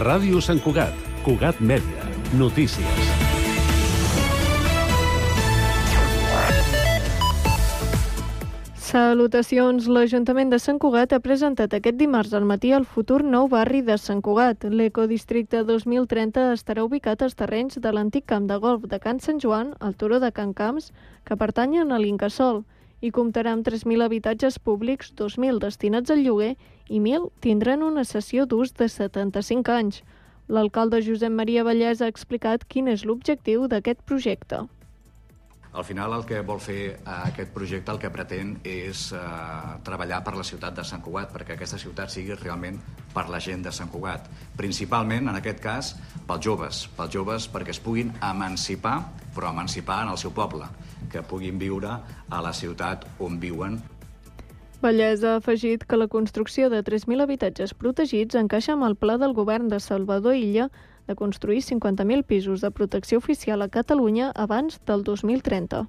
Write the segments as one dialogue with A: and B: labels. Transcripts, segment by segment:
A: Ràdio Sant Cugat, Cugat Mèdia, notícies.
B: Salutacions. L'Ajuntament de Sant Cugat ha presentat aquest dimarts al matí el futur nou barri de Sant Cugat. L'Ecodistricte 2030 estarà ubicat als terrenys de l'antic camp de golf de Can Sant Joan, al turó de Can Camps, que pertanyen a l'Incasòl, i comptarà amb 3.000 habitatges públics, 2.000 destinats al lloguer i 1.000 tindran una cessió d'ús de 75 anys. L'alcalde Josep Maria Vallès ha explicat quin és l'objectiu d'aquest projecte.
C: Al final el que vol fer aquest projecte, el que pretén és treballar per la ciutat de Sant Cugat, perquè aquesta ciutat sigui realment per la gent de Sant Cugat. Principalment, en aquest cas, pels joves perquè es puguin emancipar, però emancipar en el seu poble, que puguin viure a la ciutat on viuen.
B: Vallès ha afegit que la construcció de 3.000 habitatges protegits encaixa amb el pla del govern de Salvador Illa de construir 50.000 pisos de protecció oficial a Catalunya abans del 2030.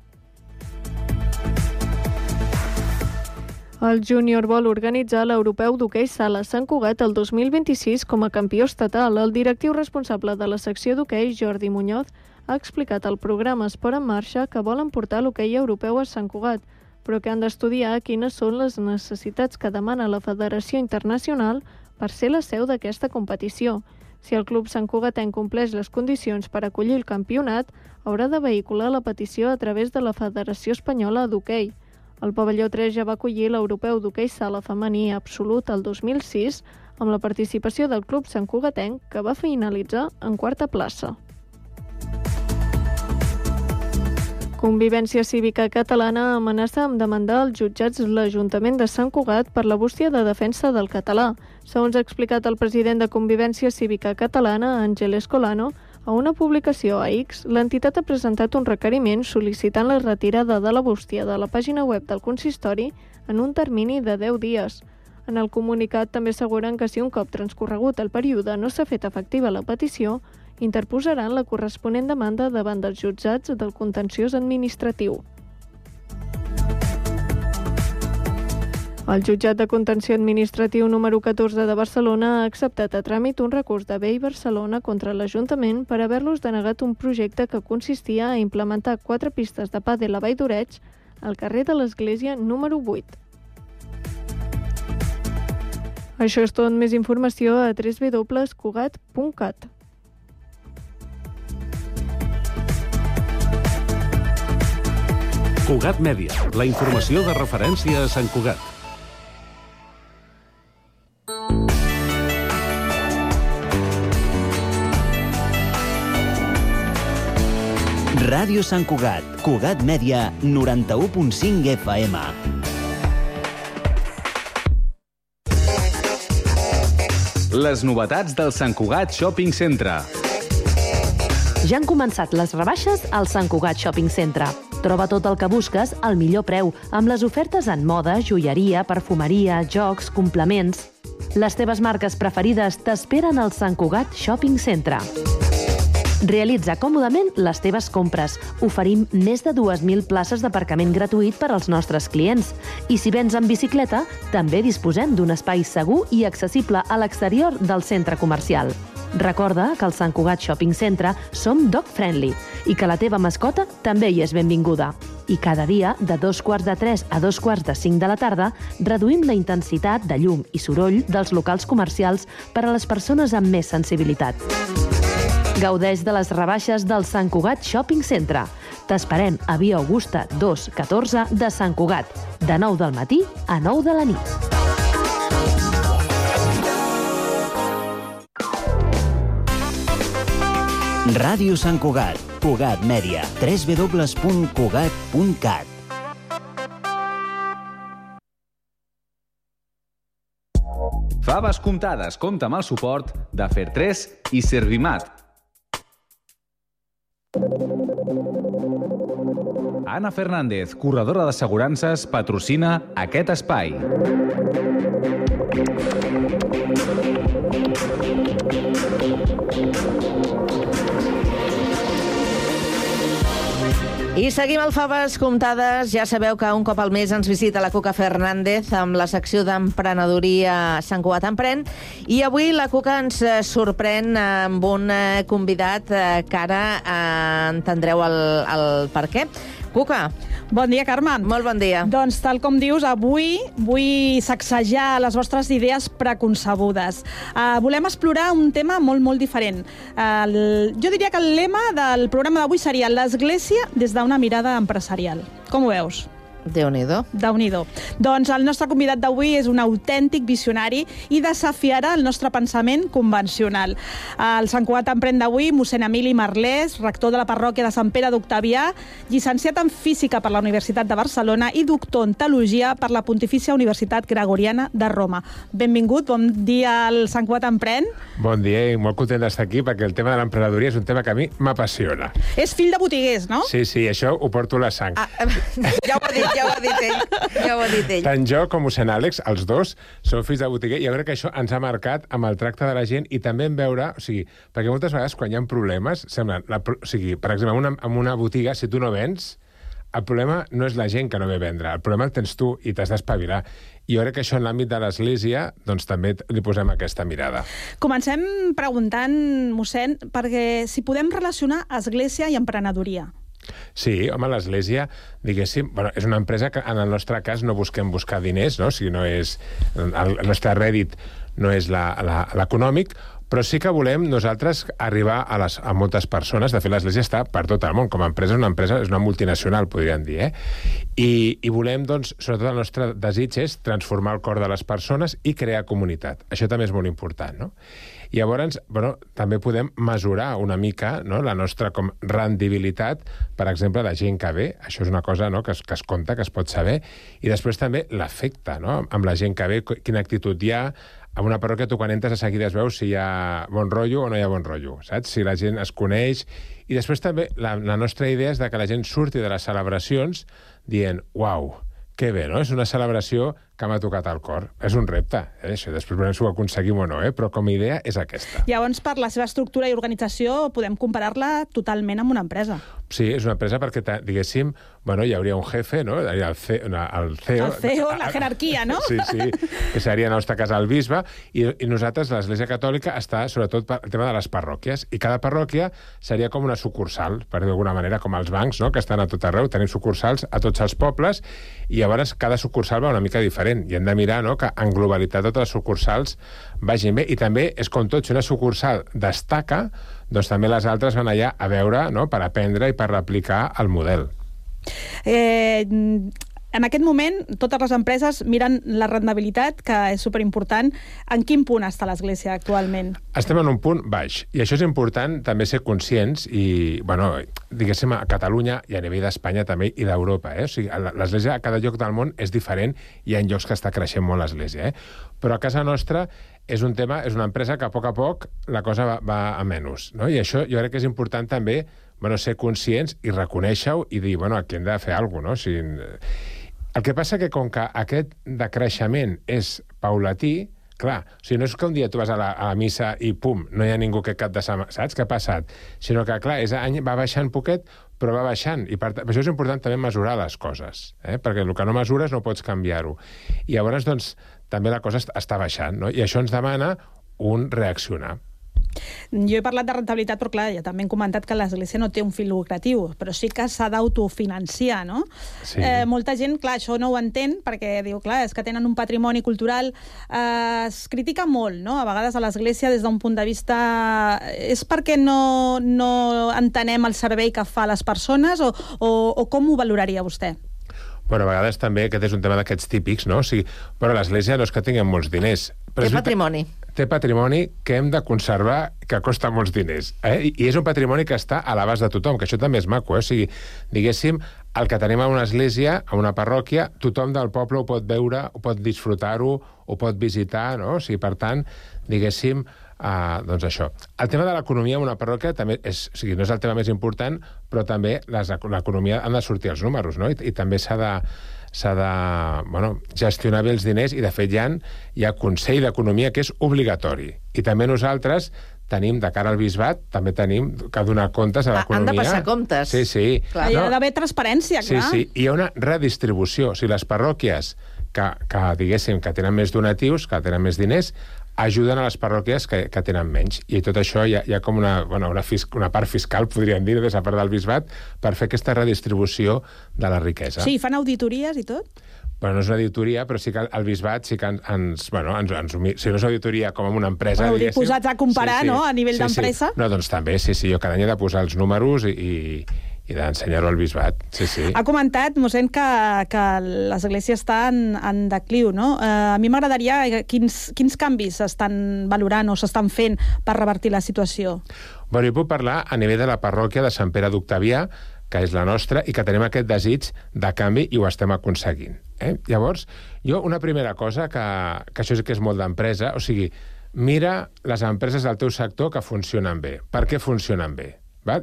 B: El júnior vol organitzar l'Europeu d'Hoquei Sala Sant Cugat el 2026 com a campió estatal. El directiu responsable de la secció d'hoquei, Jordi Muñoz, ha explicat al programa Esport en Marxa que volen portar l'hoquei europeu a Sant Cugat, però que han d'estudiar quines són les necessitats que demana la Federació Internacional per ser la seu d'aquesta competició. Si el club santcugatenc compleix les condicions per acollir el campionat, haurà de vehicular la petició a través de la Federació Espanyola d'Hoquei. El pavelló 3 ja va acollir l'Europeu d'Hoquei Sala femení absolut el 2006 amb la participació del club santcugatenc, que va finalitzar en quarta plaça. Convivència Cívica Catalana amenaça amb demandar als jutjats l'Ajuntament de Sant Cugat per la bústia de defensa del català. Segons ha explicat el president de Convivència Cívica Catalana, Àngel Escolano, a una publicació a X, l'entitat ha presentat un requeriment sol·licitant la retirada de la bústia de la pàgina web del consistori en un termini de 10 dies. En el comunicat també asseguren que si un cop transcorregut el període no s'ha fet efectiva la petició, interposaran la corresponent demanda davant dels jutjats del contenciós administratiu. El jutjat de contenció administratiu número 14 de Barcelona ha acceptat a tràmit un recurs de BEI Barcelona contra l'Ajuntament per haver-los denegat un projecte que consistia a implementar 4 pistes de pàdel a Vall d'Oreig al carrer de l'Església número 8. Això és tot. Més informació a www.cugat.cat.
A: Cugat Mèdia, la informació de referència a Sant Cugat.
D: Ràdio Sant Cugat, Cugat Mèdia, 91.5 FM.
E: Les novetats del Sant Cugat Shopping Centre.
F: Ja han començat les rebaixes al Sant Cugat Shopping Centre. Troba tot el que busques al millor preu, amb les ofertes en moda, joieria, perfumeria, jocs, complements. Les teves marques preferides t'esperen al Sant Cugat Shopping Centre. Realitza còmodament les teves compres. Oferim més de 2.000 places d'aparcament gratuït per als nostres clients. I si vens en bicicleta, també disposem d'un espai segur i accessible a l'exterior del centre comercial. Recorda que al Sant Cugat Shopping Centre som dog friendly i que la teva mascota també hi és benvinguda. I cada dia, de 2:45 a 2:45 de la tarda, reduïm la intensitat de llum i soroll dels locals comercials per a les persones amb més sensibilitat. Gaudeix de les rebaixes del Sant Cugat Shopping Centre. T'esperem a Via Augusta 214 de Sant Cugat, de 9 del matí a 9 de la nit.
D: Ràdio Sant Cugat, Cugat Mèdia, www.cugat.cat.
E: Faves comptades compta amb el suport de Fer3 i Servimat. Anna Fernández, corredora d'assegurances, patrocina aquest espai.
G: És seguim al Faves Comptades. Ja sabeu que un cop al mes ens visita la Cuca Fernández amb la secció d'emprenedoria Sant Cugat Emprèn. I avui la Cuca ens sorprèn amb un convidat que ara entendreu el per què. Cuca.
H: Bon dia, Carme.
G: Molt bon dia.
H: Doncs, tal com dius, avui vull sacsejar les vostres idees preconcebudes. Volem explorar un tema molt, molt diferent. Jo diria que el lema del programa d'avui seria l'Església des d'una mirada empresarial. Com ho veus?
G: Déu-n'hi-do.
H: Déu-n'hi-do. Doncs el nostre convidat d'avui és un autèntic visionari i desafiarà el nostre pensament convencional. El Sant Cugat Emprèn d'avui, mossèn Emili Marlès, rector de la parròquia de Sant Pere d'Octavià, llicenciat en Física per la Universitat de Barcelona i doctor en Teologia per la Pontifícia Universitat Gregoriana de Roma. Benvingut, bon dia al Sant Cugat Emprèn.
I: Bon dia i molt content d'estar aquí perquè el tema de l'emprenedoria és un tema que a mi m'apassiona.
H: És fill de botiguers, no?
I: Sí, això ho porto a la sang.
G: Ja ho ha dit ell.
I: Tant jo com mossèn Àlex, els dos, som fills de botiguer, i jo crec que això ens ha marcat amb el tracte de la gent i també en veure, perquè moltes vegades quan hi ha problemes, semblen, per exemple, en una botiga, si tu no vens, el problema no és la gent que no ve a vendre, el problema el tens tu i t'has d'espavilar. I jo crec que això en l'àmbit de l'Església doncs també li posem aquesta mirada.
H: Comencem preguntant, mossèn, perquè si podem relacionar Església i emprenedoria.
I: Sí, home, l'Església, diguéssim, és una empresa que en el nostre cas no busquem buscar diners, no? O sigui, no és, el nostre rèdit no és l'econòmic, però sí que volem nosaltres arribar a moltes persones. De fet, l'Església està per tot el món. Com a empresa és una multinacional, podríem dir, I volem, doncs, sobretot el nostre desig és transformar el cor de les persones i crear comunitat. Això també és molt important, no? I llavors, també podem mesurar una mica la nostra rendibilitat, per exemple, de gent que ve. Això és una cosa que es compta, que es pot saber. I després també l'efecte, amb la gent que ve, quina actitud hi ha. En una parròquia, tu quan entres de seguida es veus si hi ha bon rotllo o no hi ha bon rotllo, saps? Si la gent es coneix. I després també la nostra idea és que la gent surti de les celebracions dient, uau, que bé, no? És una celebració que m'ha tocat al cor. És un repte, això. Després veurem si ho aconseguim o no, però com a idea és aquesta.
H: Llavors, per la seva estructura i organització, podem comparar-la totalment amb una empresa.
I: Sí, és una empresa perquè, diguéssim, hi hauria un jefe, no? El CEO.
H: El CEO, la jerarquia, no?
I: Sí, que seria, en el nostre cas, el bisbe, i nosaltres, l'Església Catòlica, està sobretot per el tema de les parròquies, i cada parròquia seria com una sucursal, per dir d'alguna manera, com els bancs, no? Que estan a tot arreu, tenim sucursals a tots els pobles, i llavors cada sucursal va una mica diferent, i hem de mirar que en globalitat totes les sucursals vagin bé, i també és com tot, si una sucursal destaca, doncs també les altres van allà a veure, per aprendre i per replicar el model.
H: En aquest moment, totes les empreses miren la rendibilitat, que és superimportant. En quin punt està l'Església actualment?
I: Estem en un punt baix, i això és important també ser conscients, i, diguéssim, a Catalunya i a nivell d'Espanya també, i d'Europa. O sigui, l'Església a cada lloc del món és diferent, i hi ha llocs que està creixent molt l'Església. Però a casa nostra és una empresa que a poc la cosa va a menys. I això jo crec que és important també ser conscients i reconèixer-ho i dir, aquí hem de fer alguna cosa, no? El que passa que com que aquest decreixement és paulatí, clar, no és que un dia tu vas a la missa i pum, no hi ha ningú que cap de setmana, saps què ha passat? Sinó que, clar, va baixant poquet, però va baixant, i per això és important també mesurar les coses, perquè el que no mesures no pots canviar-ho. I llavors, doncs, també la cosa està baixant, no? I això ens demana un reaccionar.
H: Jo he parlat de rentabilitat, però clar, ja també hem comentat que l'Església no té un fi lucratiu, però sí que s'ha d'autofinanciar, no?
I: Sí.
H: Molta gent, clar, això no ho entén, perquè diu, clar, és que tenen un patrimoni cultural. Es critica molt, no?, a vegades a l'Església des d'un punt de vista... És perquè no entenem el servei que fa a les persones, o com ho valoraria vostè?
I: A vegades també aquest és un tema d'aquests típics, no? O sigui, l'Església no és que tinguem molts diners.
G: Té patrimoni.
I: Té patrimoni que hem de conservar, que costa molts diners. I és un patrimoni que està a l'abast de tothom, que això també és maco. O sigui, diguéssim, el que tenim a una església, a una parròquia, tothom del poble ho pot veure, ho pot disfrutar-ho, ho pot visitar, no? O sigui, per tant, diguéssim, doncs això. El tema de l'economia en una parròquia també no és el tema més important, però també l'economia han de sortir els números, no? I també s'ha de gestionar bé els diners, i de fet hi ha Consell d'Economia que és obligatori. I també nosaltres tenim, de cara al bisbat, també tenim que donar comptes a l'economia.
G: Han de passar comptes.
I: Sí.
H: Clar. Hi ha d'haver transparència, clar.
I: Sí, hi ha una redistribució. O sigui, les parròquies que diguéssim, que tenen més donatius, que tenen més diners, ajuden a les parròquies que tenen menys. I tot això hi ha com una part fiscal, podríem dir, des a part del bisbat, per fer aquesta redistribució de la riquesa.
H: Sí, fan auditories i tot?
I: Bueno, no és una auditoria, però sí que el bisbat sí que si no és una auditoria com en una empresa,
H: bueno, diguéssim. Posats a comparar, no?, a nivell d'empresa.
I: No, doncs també, sí, jo cada any he de posar els números i d'ensenyar-ho al bisbat, sí.
H: Ha comentat, mossèn, que l'Església està en decliu, no? A mi m'agradaria quins canvis s'estan valorant o s'estan fent per revertir la situació.
I: Bueno, jo puc parlar a nivell de la parròquia de Sant Pere d'Octavià, que és la nostra, i que tenim aquest desig de canvi i ho estem aconseguint. Llavors, una primera cosa, que això sí que és molt d'empresa, o sigui, mira les empreses del teu sector que funcionen bé. Per què funcionen bé?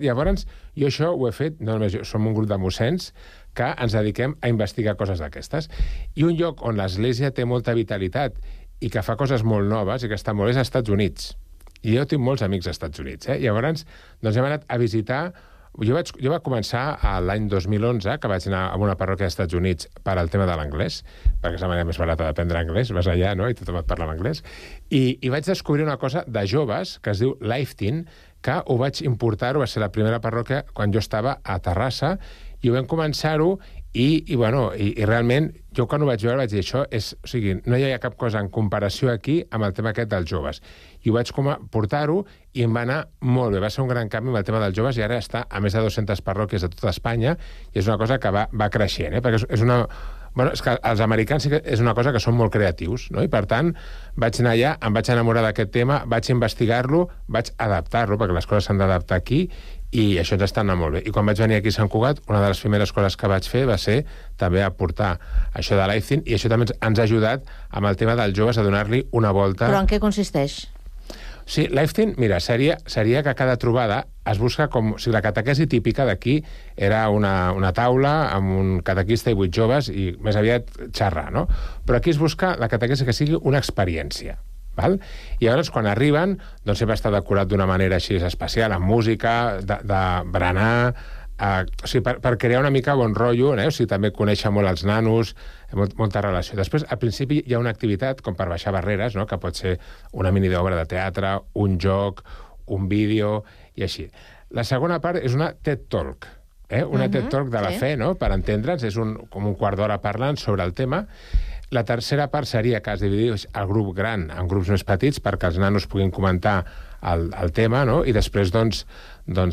I: Llavors, jo això ho he fet, no només jo, som un grup de mossens que ens dediquem a investigar coses d'aquestes. I un lloc on l'Església té molta vitalitat i que fa coses molt noves i que està molt és als Estats Units. I jo tinc molts amics als Estats Units. Llavors, doncs hem anat a visitar. Jo vaig començar l'any 2011, que vaig anar a una parròquia dels Estats Units per al tema de l'anglès, perquè és la manera més barata d'aprendre anglès, vas allà, no?, i tothom et parla en anglès, i vaig descobrir una cosa de joves que es diu Lifeteen, que ho vaig importar-ho, va ser la primera parròquia quan jo estava a Terrassa, i ho vam començar-ho, i realment, jo quan ho vaig veure vaig dir, o sigui, no hi ha cap cosa en comparació aquí amb el tema aquest dels joves. I ho vaig portar-ho i em va anar molt bé. Va ser un gran canvi amb el tema dels joves i ara està a més de 200 parròquies de tota Espanya i és una cosa que va creixent, perquè és una... Bueno, és que els americans sí que és una cosa que són molt creatius, no? I per tant vaig anar allà, em vaig enamorar d'aquest tema, vaig investigar-lo, vaig adaptar-lo, perquè les coses s'han d'adaptar aquí, i això ens està anant molt bé. I quan vaig venir aquí a Sant Cugat, una de les primeres coses que vaig fer va ser també aportar això de Lifeteen, i això també ens ha ajudat amb el tema dels joves a donar-li una volta.
G: Però en què consisteix?
I: Sí, Lifeteen, mira, seria que cada trobada es busca com... O sigui, la catequesi típica d'aquí era una taula amb un catequista i 8 joves i més aviat xerrar, no? Però aquí es busca la catequesi que sigui una experiència. Val? I llavors, quan arriben, doncs sempre està decorat d'una manera així especial, amb música, de berenar, o sigui, per crear una mica bon rotllo, o sigui, també conèixer molt els nanos, molta relació. Després, al principi, hi ha una activitat com per baixar barreres, no?, que pot ser una mini d'obra de teatre, un joc, un vídeo, i així. La segona part és una TED Talk, una TED Talk de la fe, no?, per entendre'ns, és com un quart d'hora parlant sobre el tema. La tercera part seria que es divideix el grup gran en grups més petits perquè els nanos puguin comentar el tema, no?, i després, doncs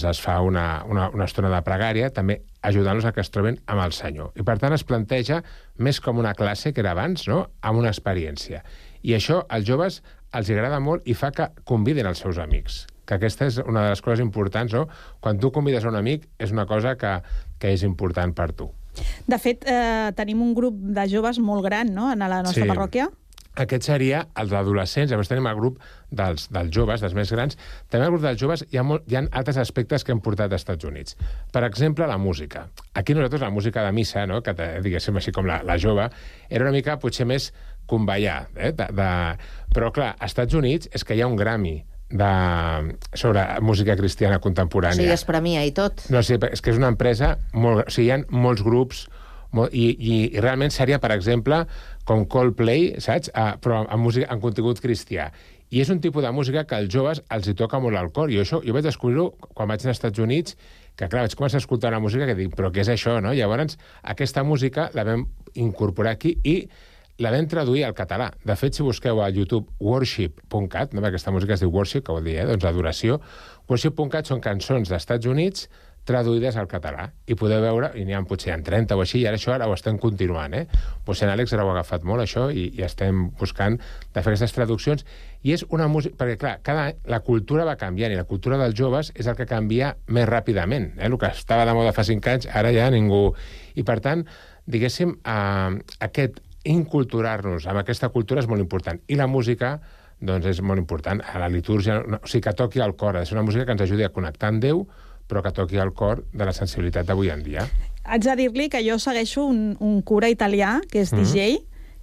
I: es fa una estona de pregària, també ajudant-los a que es troben amb el Senyor. I, per tant, es planteja més com una classe que era abans, no?, amb una experiència. I això als joves els agrada molt i fa que convidin els seus amics, que aquesta és una de les coses importants, no? Quan tu convides a un amic és una cosa que és important per tu.
H: De fet, tenim un grup de joves molt gran, no?, en la nostra parròquia.
I: Aquest seria els adolescents, llavors tenim el grup dels joves, dels més grans. També al grup dels joves hi ha altres aspectes que hem portat als Estats Units. Per exemple, la música. Aquí nosaltres la música de missa, no?, que diguéssim així com la jove, era una mica potser més convallar. Però clar, als Estats Units és que hi ha un Grammy sobre música cristiana contemporània.
G: O sigui, es premia i tot.
I: No, sí, és que és una empresa molt... O sigui, hi ha molts grups i realment seria, per exemple, com Coldplay, saps? Però amb música, en contingut cristià. I és un tipus de música que als joves els hi toca molt al cor. I això jo vaig descobrir-ho quan vaig anar als Estats Units, que clar, vaig començar a escoltar una música que dic, però què és això, no? Llavors, aquesta música la vam incorporar aquí i la vam traduir al català. De fet, si busqueu a YouTube worship.cat, no? Aquesta música es diu worship, que vol dir, doncs adoració, worship.cat són cançons dels Estats Units traduïdes al català. I podeu veure, i n'hi ha potser 30 o així, i ara ho estem continuant, Doncs en Àlex ara ho ha agafat molt, això, i estem buscant de fer aquestes traduccions. I és una música... Perquè, clar, cada any la cultura va canviant, i la cultura dels joves és el que canvia més ràpidament. El que estava de moda fa 5 anys, ara ja ningú... I, per tant, diguéssim, aquest inculturar-nos amb aquesta cultura és molt important. I la música, doncs, és molt important. A la litúrgia, o sigui, que toqui al cor. Ha de ser una música que ens ajudi a connectar amb Déu, però que toqui al cor de la sensibilitat d'avui en dia.
H: Haig de dir-li que jo segueixo un cura italià, que és DJ,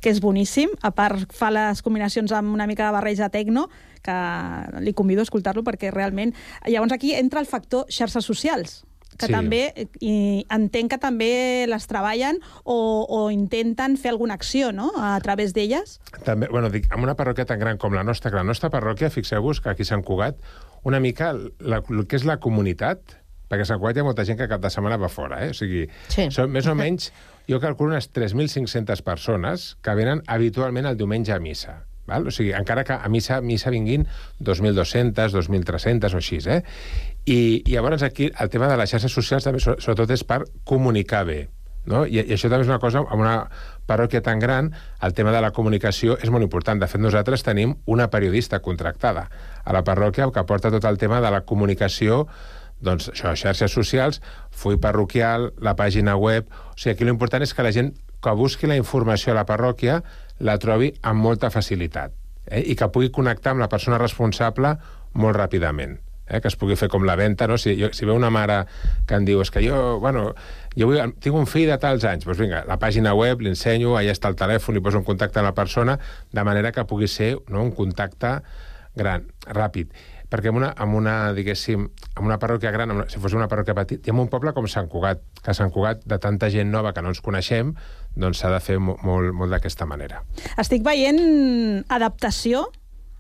H: que és boníssim. A part, fa les combinacions amb una mica de barreja tecno, que li convido a escoltar-lo perquè realment... Llavors aquí entra el factor xarxes socials, que també, i entenc que també les treballen o intenten fer alguna acció, no?, a través d'elles.
I: També, bueno, dic, amb una parròquia tan gran com la nostra parròquia, fixeu-vos que aquí a Sant Cugat, una mica el que és la comunitat, perquè a Sant Cugat hi ha molta gent que cap de setmana va fora, O sigui, són més o menys, jo calculo unes 3.500 persones que venen habitualment el diumenge a missa. Val? O sigui, encara que a missa vinguin 2.200, 2.300 o així, I llavors aquí el tema de les xarxes socials també sobretot és per comunicar bé, no? I això també és una cosa, amb una parròquia tan gran, el tema de la comunicació és molt important. De fet, nosaltres tenim una periodista contractada a la parròquia que porta tot el tema de la comunicació, doncs això, xarxes socials, full parroquial, la pàgina web... O sigui, aquí l'important és que la gent que busqui la informació a la parròquia la trobi amb molta facilitat, i que pugui connectar amb la persona responsable molt ràpidament, que es pugui fer com la venda, no? Si veu una mare que em diu és que jo tinc un fill de tals anys, doncs vinga, la pàgina web, l'ensenyo, allà està el telèfon, li poso un contacte a la persona, de manera que pugui ser, no, un contacte gran, ràpid. Perquè amb una parròquia gran, si fos una parròquia petita, i en un poble com Sant Cugat, que a Sant Cugat, de tanta gent nova que no ens coneixem, doncs s'ha de fer molt d'aquesta manera.
H: Estic veient adaptació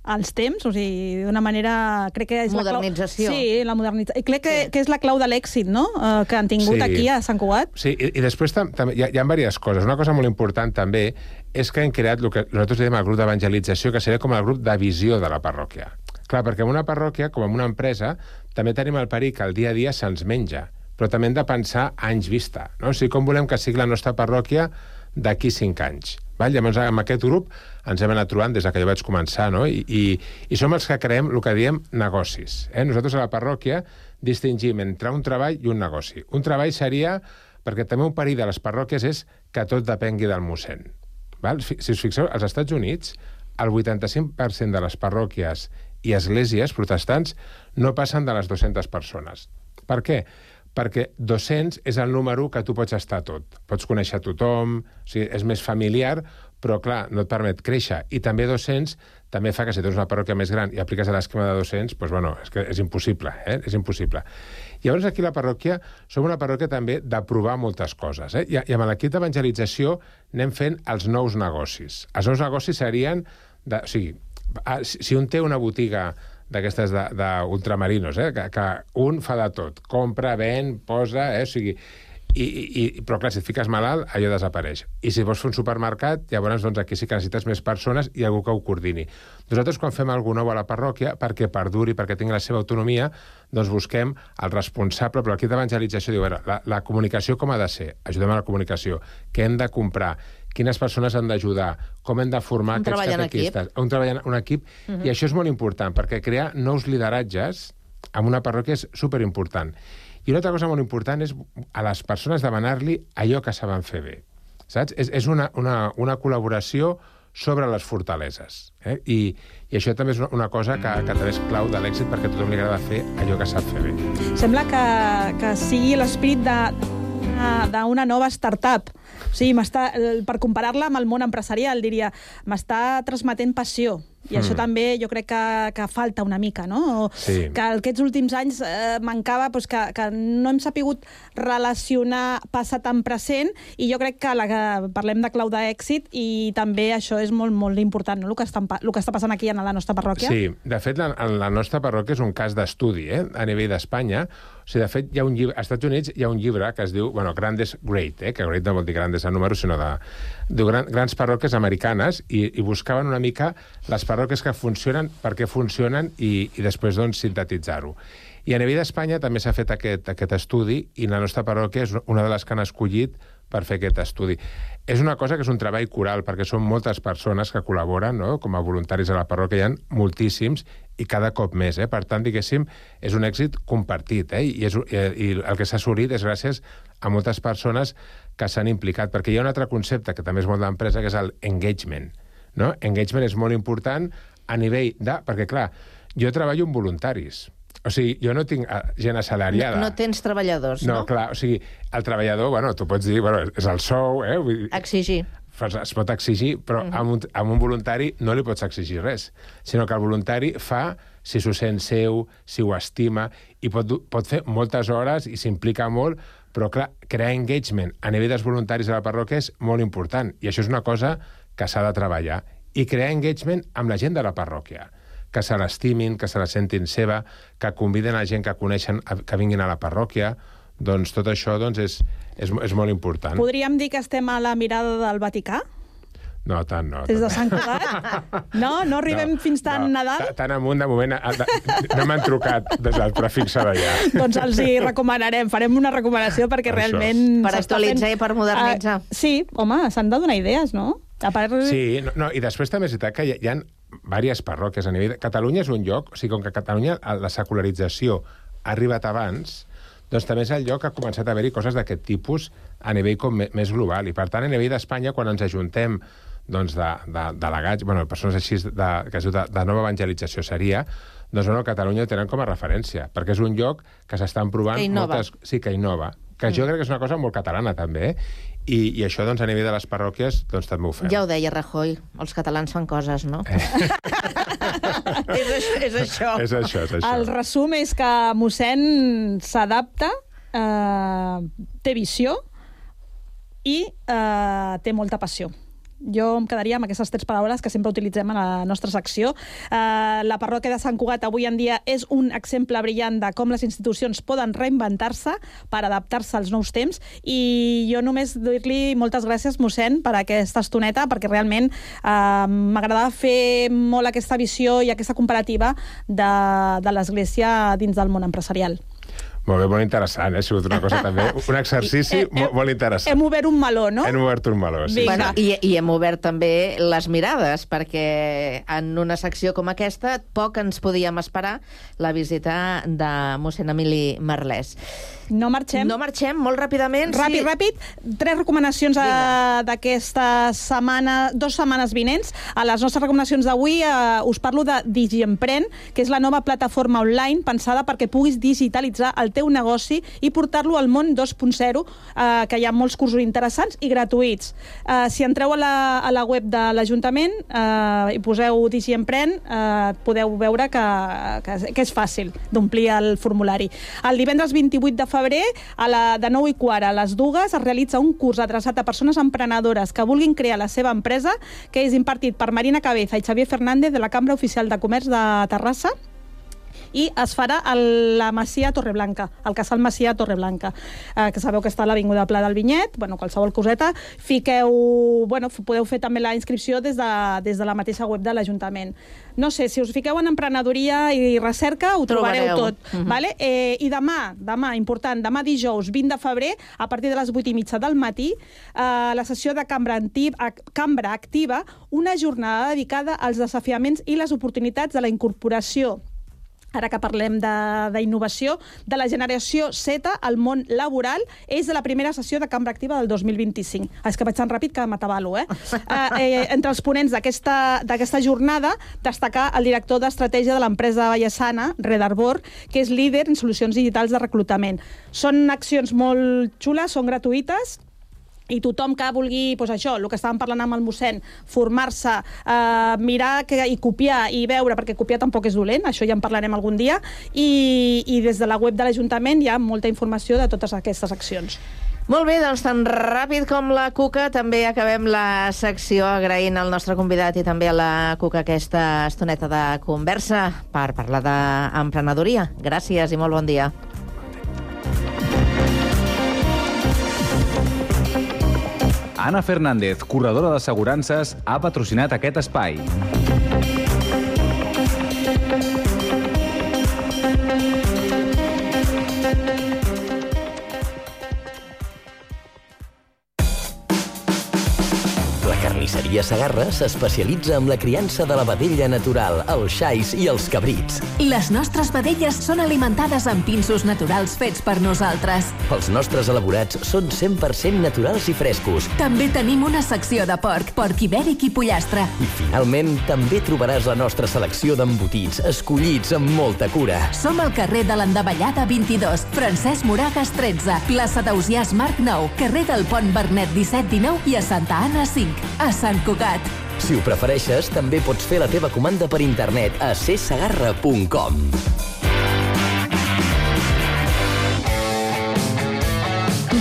H: als temps, o sigui, d'una manera... Crec que és
G: modernització.
H: Sí, la modernització. I crec que és la clau de l'èxit, no?, que han tingut aquí a Sant Cugat.
I: Sí, i després també hi ha diverses coses. Una cosa molt important també és que hem creat el que nosaltres diem el grup d'evangelització, que seria com el grup de visió de la parròquia. Clar, perquè en una parròquia, com en una empresa, també tenim el perill que el dia a dia se'ns menja, però també hem de pensar a anys vista, no? O sigui, com volem que sigui la nostra parròquia d'aquí 5 anys. Val? Llavors, amb aquest grup ens hem anat trobant des que jo vaig començar, no? I som els que creem el que diem negocis. Nosaltres a la parròquia distingim entre un treball i un negoci. Un treball seria, perquè també un perill de les parròquies és que tot depengui del mossèn. Val? Si us fixeu, als Estats Units, el 85% de les parròquies i esglésies protestants no passen de les 200 persones. Per què? Perquè 200 és el número que tu pots estar tot. Pots conèixer tothom, o sigui, és més familiar, però, clar, no et permet créixer. I també 200 també fa que si tens una parròquia més gran i apliques l'esquema de 200, doncs, bueno, és que és impossible, és impossible. Llavors, aquí a la parròquia som una parròquia també de provar moltes coses, I amb l'equip d'evangelització anem fent els nous negocis. Els nous negocis serien... O sigui, si un té una botiga d'aquestes d'ultramarinos, que un fa de tot, compra, ven, posa, o sigui... Però, clar, si et fiques malalt, allò desapareix. I si vols fer un supermercat, llavors doncs, aquí sí que necessites més persones i algú que ho coordini. Nosaltres, quan fem alguna nou a la parròquia, perquè perduri, perquè tingui la seva autonomia, doncs busquem el responsable, però l'equip d'evangelització diu, la comunicació com ha de ser? Ajudem a la comunicació. Què hem de comprar? Quines persones han d'ajudar? Com hem de formar aquests catequistes? Un treball en equip. I això és molt important, perquè crear nous lideratges en una parròquia és superimportant. I una altra cosa molt important és a les persones demanar-li allò que saben fer bé. Saps? És una col·laboració sobre les fortaleses. I això també és una cosa que també és clau de l'èxit, perquè a tothom li agrada fer allò que sap fer bé.
H: Sembla que sigui l'esprit d'una nova startup. O sigui, per comparar-la amb el món empresarial, diria, m'està transmetent passió. I això també jo crec que falta una mica, no?
I: Sí.
H: Que aquests últims anys mancava que no hem sapigut relacionar passat amb present, i jo crec que parlem de clau d'èxit i també això és molt, molt important, no? El que està passant aquí a la nostra parròquia.
I: Sí, de fet, la nostra parròquia és un cas d'estudi, a nivell d'Espanya. O sigui, de fet, hi ha un llibre, als Estats Units hi ha un llibre que es diu, Grandes Great, que Great no vol dir grandes en números, sinó de grans parròquies americanes, i buscaven una mica les parròquies que funcionen, per què funcionen, i després, doncs, sintetitzar-ho. I a nivell d'Espanya també s'ha fet aquest estudi, i la nostra parròquia és una de les que han escollit per fer aquest estudi. És una cosa que és un treball coral, perquè són moltes persones que col·laboren, no?, com a voluntaris a la parròquia, hi ha moltíssims, i cada cop més. Per tant, diguéssim, és un èxit compartit, i el que s'ha assolit és gràcies a moltes persones que s'han implicat, perquè hi ha un altre concepte que també és molt d'empresa, que és el engagement. No? Engagement és molt important a nivell de... Perquè, clar, jo treballo amb voluntaris. O sigui, jo no tinc gent assalariada.
G: No tens treballadors, no?
I: No, clar, o sigui, el treballador, tu pots dir, és el sou,
G: Exigir.
I: es pot exigir, però amb un voluntari no li pots exigir res, sinó que el voluntari fa si s'ho sent seu, si ho estima, i pot fer moltes hores i s'implica molt, però, clar, crear engagement a nivell dels voluntaris de la parròquia és molt important, i això és una cosa que s'ha de treballar. I crear engagement amb la gent de la parròquia, que se l'estimin, que se la sentin seva, que conviden a gent que coneixen que vinguin a la parròquia. Doncs tot això és molt important.
H: Podríem dir que estem a la mirada del Vaticà?
I: No, tant no.
H: Des de Sant Cugat? No arribem fins tan Nadal?
I: Tan amunt, de moment, no m'han trucat des del prefixe d'allà.
H: Doncs els hi recomanarem, farem una recomanació perquè realment...
G: Per actualitzar i per modernitzar.
H: Sí, home, s'han de donar idees, no?
I: Sí, i després també és veritat que hi ha diverses parròquies a nivell... Catalunya és un lloc, o sigui, com que a Catalunya la secularització ha arribat abans, doncs també és el lloc que ha començat a haver-hi coses d'aquest tipus a nivell com més global. I per tant, a nivell d'Espanya, quan ens ajuntem doncs, de delegats, persones així que es diu de nova evangelització seria, doncs a Catalunya ho tenen com a referència, perquè és un lloc que s'estan provant moltes... Sí, que innova. Que jo crec que és una cosa molt catalana, també, i això, doncs, a nivell de les parròquies, doncs també ho fem.
G: Ja ho deia Rajoy, els catalans fan coses, no? És això.
I: És això.
H: El resum és que mossèn s'adapta, té visió i té molta passió. Jo em quedaria amb aquestes 3 paraules que sempre utilitzem a la nostra secció. La parròquia de Sant Cugat avui en dia és un exemple brillant de com les institucions poden reinventar-se per adaptar-se als nous temps, i jo només dir-li moltes gràcies, mossèn, per aquesta estoneta, perquè realment m'agradava fer molt aquesta visió i aquesta comparativa de l'Església dins del món empresarial.
I: Molt bé, molt interessant, ha sigut una cosa també, un exercici molt interessant.
H: Hem obert un meló, no?
I: Hem obert un meló, sí.
G: Bueno, i hem obert també les mirades, perquè en una secció com aquesta poc ens podíem esperar la visita de mossèn Emili Marlès.
H: No marxem,
G: molt ràpidament.
H: Ràpid. 3 recomanacions d'aquesta setmana, 2 setmanes vinents. A les nostres recomanacions d'avui us parlo de DigiEmpren, que és la nova plataforma online pensada perquè puguis digitalitzar el teu negoci i portar-lo al món 2.0, que hi ha molts cursos interessants i gratuïts. Si entreu a la web de l'Ajuntament i poseu DigiEmpren, podeu veure que és fàcil d'omplir el formulari. El divendres 28 de febrer, de 9:15 a les 2, es realitza un curs adreçat a persones emprenedores que vulguin crear la seva empresa, que és impartit per Marina Cabeza i Xavier Fernández de la Cambra Oficial de Comerç de Terrassa, i es farà a la Masia Torreblanca, al Casal Masia Torreblanca, que sabeu que està a l'Avinguda Pla del Vinyet. Qualsevol coseta, podeu fer també la inscripció des de la mateixa web de l'Ajuntament. No sé, si us fiqueu en emprenedoria i recerca, ho trobareu tot. Vale? I demà, important, demà dijous 20 de febrer, a partir de les 8:30 del matí, la sessió de Cambra Activa, una jornada dedicada als desafiaments i les oportunitats de la incorporació, ara que parlem d'innovació, de la generació Z al món laboral. És de la primera sessió de Cambra Activa del 2025. És que vaig tan ràpid que m'atabalo, Entre els ponents d'aquesta jornada, destacar el director d'estratègia de l'empresa vallesana, Red Arbor, que és líder en solucions digitals de reclutament. Són accions molt xules, són gratuïtes, i tothom que vulgui, el que estàvem parlant amb el mossèn, formar-se, mirar i copiar i veure, perquè copiar tampoc és dolent, això ja en parlarem algun dia, i des de la web de l'Ajuntament hi ha molta informació de totes aquestes accions.
G: Molt bé, doncs tan ràpid com la Cuca també acabem la secció agraint al nostre convidat i també a la Cuca aquesta estoneta de conversa per parlar d'emprenedoria. Gràcies i molt bon dia.
E: Anna Fernández, corredora d'assegurances, ha patrocinat aquest espai.
J: La carnisseria Ramaderia Segarra s'especialitza en la criança de la vedella natural, els xais i els cabrits.
K: Les nostres vedelles són alimentades amb pinsos naturals fets per nosaltres.
J: Els nostres elaborats són 100% naturals i frescos.
K: També tenim una secció de porc ibèric i pollastre.
J: I finalment, també trobaràs la nostra selecció d'embotits, escollits amb molta cura.
K: Som al carrer de l'Endavellada 22, Francesc Moragas 13, plaça d'Ausiàs Marc 9, carrer del Pont Bernet 17-19 i a Santa Anna 5, a Sant Cugat.
J: Si ho prefereixes, també pots fer la teva comanda per internet a csegarra.com.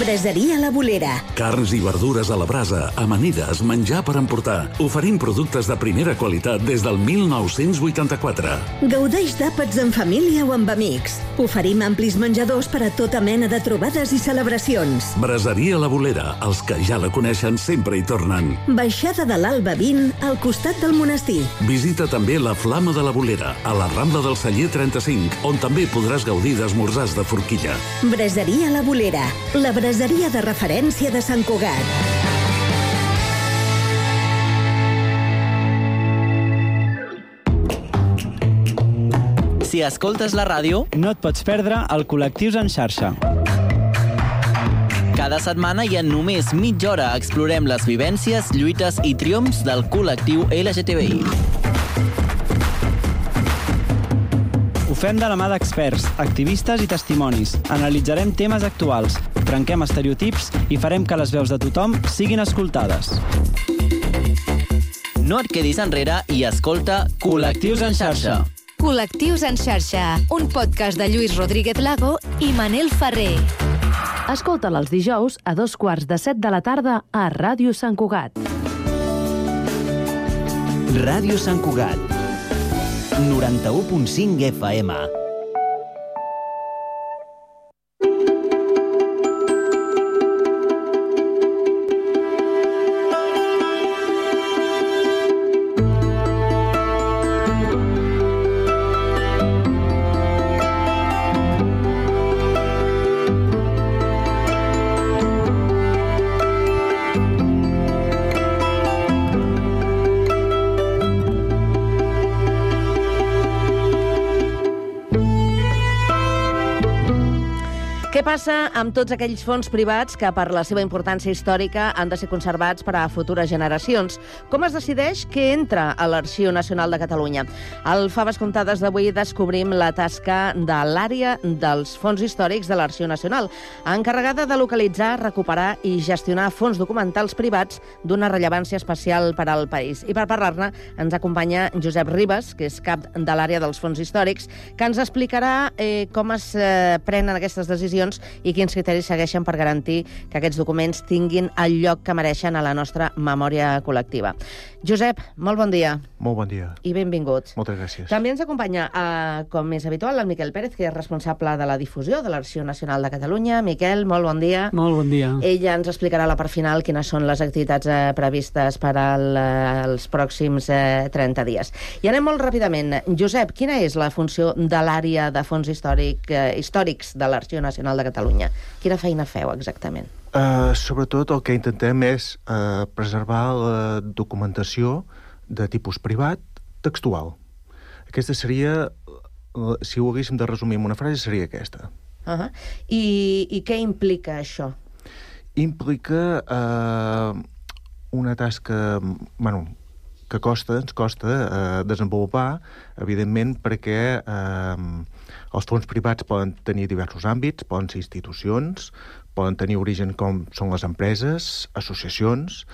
L: Braseria La Bolera.
A: Carns i verdures a la brasa, amanides, menjar per emportar. Oferim productes de primera qualitat des del 1984.
L: Gaudeix d'àpats en família o amb amics. Oferim amplis menjadors per a tota mena de trobades i celebracions.
A: Braseria La Bolera. Els que ja la coneixen sempre hi tornen.
L: Baixada de l'Alba 20, al costat del monestir.
A: Visita també la Flama de la Bolera, a la Rambla del Celler 35, on també podràs gaudir d'esmorzars de forquilla.
L: Braseria La Bolera. La braseria de referència de Sant Cugat.
M: Si escoltes la ràdio, no et pots perdre el Col·lectius en xarxa. Cada setmana i en només mitja hora explorem les vivències, lluites i triomfs del col·lectiu LGTBI. Ho fem de la mà d'experts, activistes i testimonis. Analitzarem temes actuals, trenquem estereotips i farem que les veus de tothom siguin escoltades. No et quedis enrere i escolta Col·lectius en xarxa.
N: Col·lectius en xarxa, un podcast de Lluís Rodríguez Lago i Manel Ferrer.
F: Escolta'l els dijous a 6:45 de la tarda a Ràdio Sant Cugat.
D: Ràdio Sant Cugat, 91.5 FM.
G: Què passa amb tots aquells fons privats que, per la seva importància històrica, han de ser conservats per a futures generacions? Com es decideix què entra a l'Arxiu Nacional de Catalunya? Al Faves Comptades d'avui descobrim la tasca de l'àrea dels fons històrics de l'Arxiu Nacional, encarregada de localitzar, recuperar i gestionar fons documentals privats d'una rellevància especial per al país. I per parlar-ne ens acompanya Josep Ribas, que és cap de l'àrea dels fons històrics, que ens explicarà com es prenen aquestes decisions i quins criteris segueixen per garantir que aquests documents tinguin el lloc que mereixen a la nostra memòria col·lectiva. Josep, molt bon dia.
O: Molt bon dia.
G: I benvingut.
O: Moltes gràcies.
G: També ens acompanya, com és habitual, el Miquel Pérez, que és responsable de la difusió de l'Arxiu Nacional de Catalunya. Miquel, molt bon dia.
P: Molt bon dia.
G: Ella ens explicarà a la part final quines són les activitats previstes per als pròxims 30 dies. I anem molt ràpidament. Josep, quina és la funció de l'àrea de fons històrics de l'Arxiu Nacional de Catalunya? Quina feina feu exactament?
O: Sobretot el que intentem és preservar la documentació de tipus privat textual. Aquesta seria, si ho haguéssim de resumir en una frase, seria aquesta.
G: I què implica això?
O: Implica una tasca, que ens costa desenvolupar, evidentment, perquè els fons privats poden tenir diversos àmbits, poden ser institucions, poden tenir origen com són les empreses, associacions,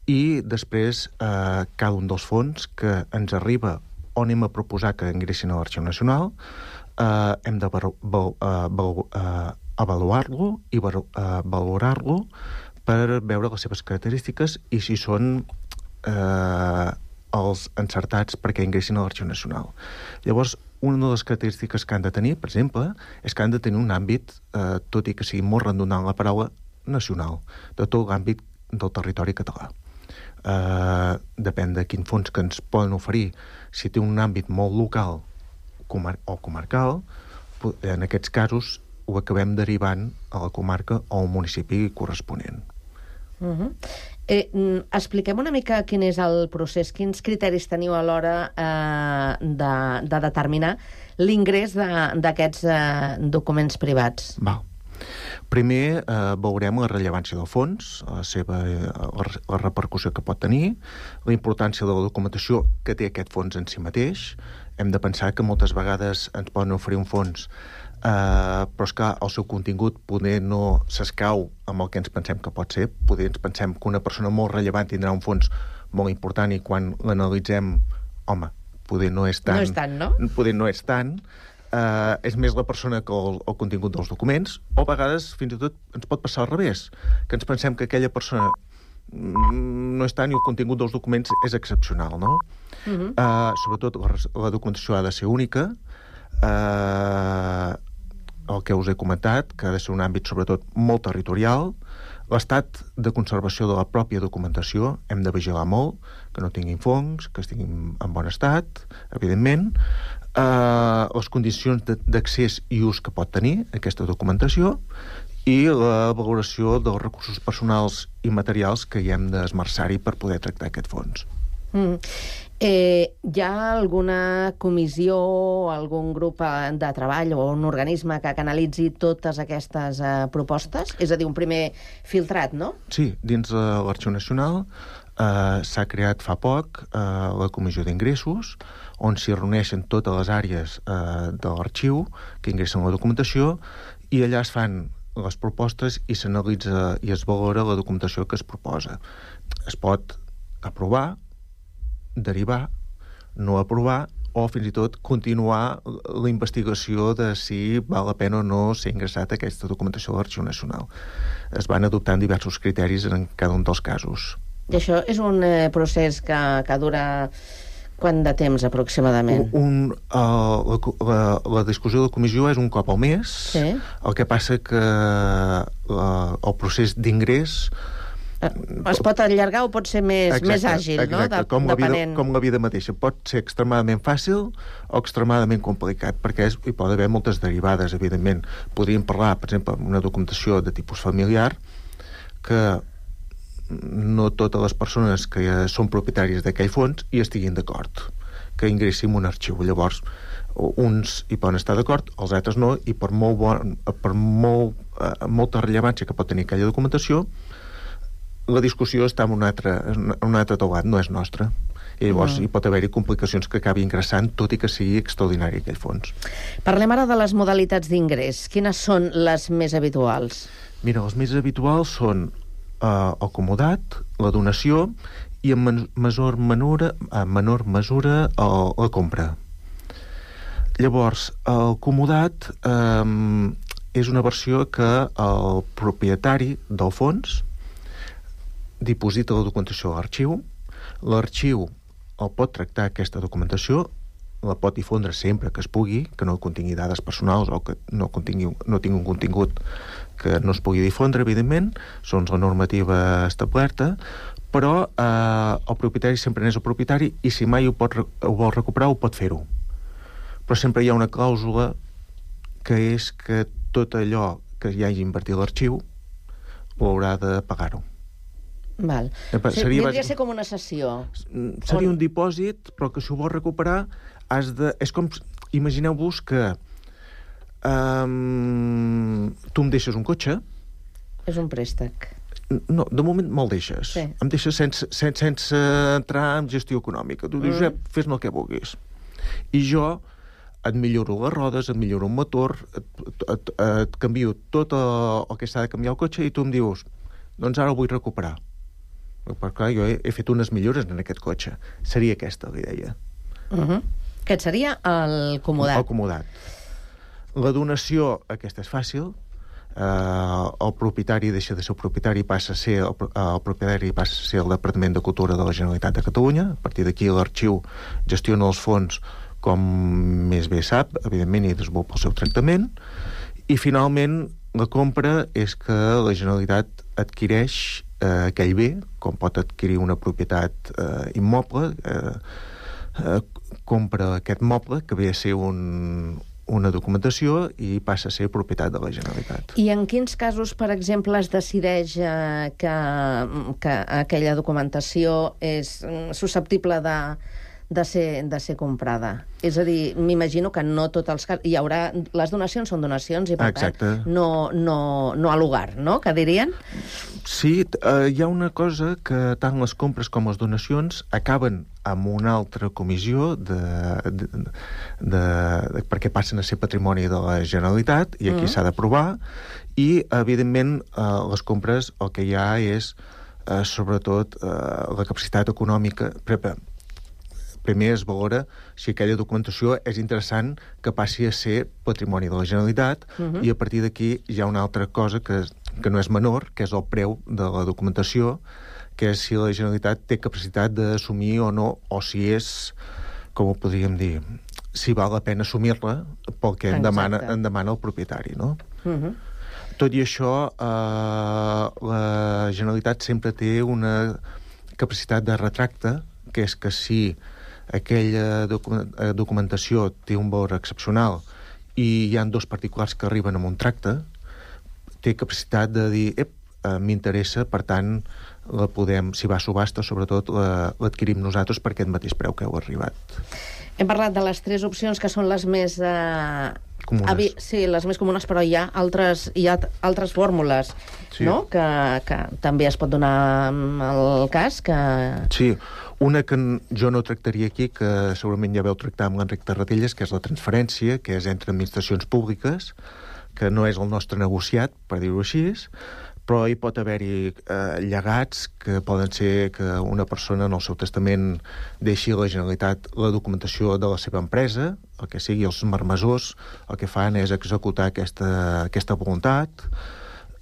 O: i després cada un dels fons que ens arriba o anem a proposar que ingressin a l'Arxiu Nacional, hem de avaluar-lo i valorar-lo per veure les seves característiques i si són els encertats perquè ingressin a l'Arxiu Nacional. Llavors, una de les característiques que han de tenir, per exemple, és que han de tenir un àmbit, tot i que sigui molt redundant la paraula, nacional, de tot l'àmbit del territori català. Depèn de quin fons que ens poden oferir. Si té un àmbit molt local o comarcal, en aquests casos ho acabem derivant a la comarca o al municipi corresponent.
G: Expliquem una mica quin és el procés, quins criteris teniu a l'hora de determinar l'ingrés d'aquests documents privats.
O: Val. Primer veurem la rellevància del fons, la repercussió que pot tenir, la importància de la documentació que té aquest fons en si mateix. Hem de pensar que moltes vegades ens poden oferir un fons, però és que el seu contingut poder no s'escau amb el que ens pensem que pot ser. Poder ens pensem que una persona molt rellevant tindrà un fons molt important i quan l'analitzem, home, poder no és tant.
G: No és tant, no?
O: Poder no és tant. És més la persona que el contingut dels documents, o a vegades fins i tot ens pot passar al revés, que ens pensem que aquella persona no és tant i el contingut dels documents és excepcional, no? Sobretot la documentació ha de ser única, el que us he comentat, que ha de ser un àmbit sobretot molt territorial, l'estat de conservació de la pròpia documentació, hem de vigilar molt, que no tinguin fongs, que estiguin en bon estat, evidentment, les condicions d'accés i ús que pot tenir aquesta documentació i la valoració dels recursos personals i materials que hi hem d'esmerçar-hi per poder tractar aquest fons.
G: Hi ha alguna comissió o algun grup de treball o un organisme que analitzi totes aquestes propostes? És a dir, un primer filtrat, no?
O: Sí, dins de l'Arxiu Nacional s'ha creat fa poc la Comissió d'Ingressos, on s'hi reuneixen totes les àrees de l'arxiu que ingressen la documentació i allà es fan les propostes i s'analitza i es valora la documentació que es proposa. Es pot aprovar, derivar, no aprovar o fins i tot continuar la investigació de si val la pena o no ser ingressat aquesta documentació a l'Arxiu Nacional. Es van adoptant diversos criteris en cada un dels casos.
G: I això és un procés que dura quant de temps aproximadament?
O: La discussió de la comissió és un cop al mes.
G: Sí.
O: El que passa que el procés d'ingrés
G: es pot allargar o pot ser més àgil, no?
O: Depenent. Com la vida mateixa. Pot ser extremadament fàcil o extremadament complicat, perquè hi pot haver moltes derivades, evidentment. Podríem parlar, per exemple, d'una documentació de tipus familiar que no totes les persones que són propietaris d'aquell fons hi estiguin d'acord, que ingressin un arxiu. Llavors, uns hi poden estar d'acord, els altres no, i per molta rellevància que pot tenir aquella documentació, la discussió està en un altre taulat, no és nostra. I llavors hi pot haver-hi complicacions que acabi ingressant, tot i que sigui extraordinari aquell fons.
G: Parlem ara de les modalitats d'ingrés. Quines són les més habituals?
O: Mira, les més habituals són el comodat, la donació i en menor mesura la compra. Llavors, el comodat és una versió que el propietari del fons diposita la documentació a l'arxiu. L'arxiu el pot tractar aquesta documentació, la pot difondre sempre que es pugui, que no contingui dades personals o que no tingui un contingut que no es pugui difondre, evidentment, segons la normativa establerta, però el propietari sempre n'és el propietari i si mai ho vol recuperar ho pot fer-ho. Però sempre hi ha una clàusula que és que tot allò que hi hagi invertit l'arxiu ho haurà de pagar-ho.
G: Val. Vindria a ser com una cessió.
O: Seria un dipòsit, però que si ho vols recuperar és com... Imagineu-vos que tu em deixes un cotxe.
G: És un préstec.
O: No, de moment me'l deixes.
G: Sí.
O: Em deixes sense entrar en gestió econòmica. Tu dius, fes-ne el que vulguis. I jo et milloro les rodes, et milloro un motor, et canvio tot el que s'ha de canviar el cotxe i tu em dius, doncs ara el vull recuperar. Però clar, jo he fet unes millores en aquest cotxe. Seria aquesta la idea.
G: Aquest seria el comodat.
O: El comodat. La donació, aquesta és fàcil. El propietari deixa de ser el propietari, passa a ser el propietari passa a ser el Departament de Cultura de la Generalitat de Catalunya. A partir d'aquí l'arxiu gestiona els fons com més bé sap, evidentment, i desenvolupa el seu tractament. I finalment la compra és que la Generalitat adquireix aquell bé, com pot adquirir una propietat immoble, compra aquest moble, que ve a ser un una documentació i passa a ser propietat de la Generalitat.
G: I en quins casos, per exemple, es decideix que aquella documentació és susceptible de ser comprada? És a dir, m'imagino que no tots els casos... Hi haurà... Les donacions són donacions i, per tant, no a lugar, no?, que dirien?
O: Sí, hi ha una cosa que tant les compres com les donacions acaben amb una altra comissió perquè passen a ser patrimoni de la Generalitat i aquí s'ha d'aprovar i, evidentment, les compres el que hi ha és, sobretot, la capacitat econòmica... Primer es valora si aquella documentació és interessant que passi a ser patrimoni de la Generalitat i a partir d'aquí hi ha una altra cosa que no és menor, que és el preu de la documentació, que és si la Generalitat té capacitat d'assumir o no, o si és, com ho podríem dir, si val la pena assumir-la pel que en demana el propietari, no? Tot i això, la Generalitat sempre té una capacitat de retracte, que és que si aquella documentació té un valor excepcional i hi ha dos particulars que arriben amb un tracte, té capacitat de dir m'interessa, per tant, la podem, si va a subhasta, sobretot l'adquirim nosaltres per aquest mateix preu que heu arribat.
G: Hem parlat de les 3 opcions que són les més...
O: comunes.
G: Sí, les més comunes, però hi ha altres fórmules, no?, que també es pot donar el cas que...
O: Sí, una que jo no tractaria aquí, que segurament ja veu tractar amb l'Enric Tarradellas, que és la transferència, que és entre administracions públiques, que no és el nostre negociat, per dir-ho així, però hi pot haver-hi llegats que poden ser que una persona en el seu testament deixi a la Generalitat la documentació de la seva empresa, el que sigui, els marmessors el que fan és executar aquesta voluntat.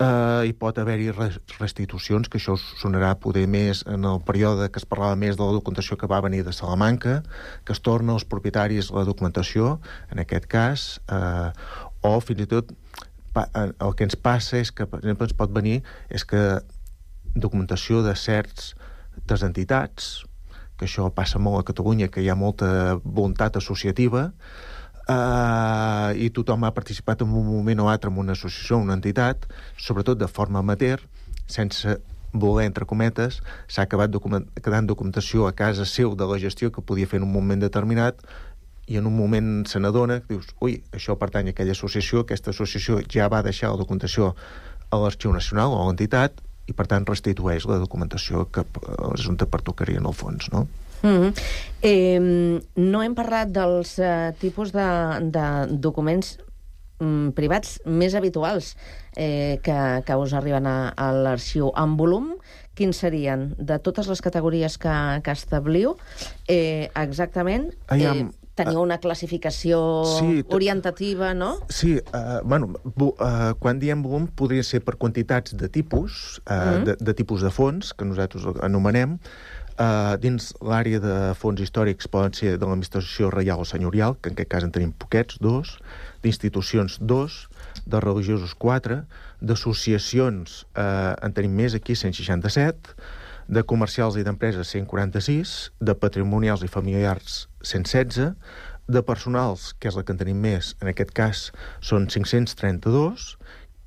O: Hi pot haver-hi restitucions, que això sonarà poder més en el període que es parlava més de la documentació que va venir de Salamanca, que es torna als propietaris la documentació, en aquest cas, o fins i tot el que ens passa és que, per exemple, ens pot venir és que documentació de certes entitats, que això passa molt a Catalunya, que hi ha molta voluntat associativa, i tothom ha participat en un moment o altre en una associació, una entitat, sobretot de forma amateur, sense voler, entre cometes, s'ha acabat quedant documentació a casa seu de la gestió que podia fer en un moment determinat, i en un moment se n'adona que dius, ui, això pertany a aquella associació, aquesta associació ja va deixar la documentació a l'Arxiu Nacional o a l'entitat i per tant restitueix la documentació que és on te pertocaria en el fons, no?
G: No hem parlat dels tipus de documents privats més habituals que us arriben a l'arxiu. En volum, quins serien? De totes les categories que establiu, exactament... Teniu una classificació orientativa, no?
O: Sí, quan diem volum podria ser per quantitats de tipus, de tipus de fons, que nosaltres anomenem. Dins l'àrea de fons històrics poden ser de l'administració reial o senyorial, que en aquest cas en tenim poquets, 2, d'institucions 2, de religiosos 4, d'associacions en tenim més aquí, 167, de comercials i d'empreses 146, de patrimonials i familiars 116, de personals, que és la que en tenim més, en aquest cas són 532,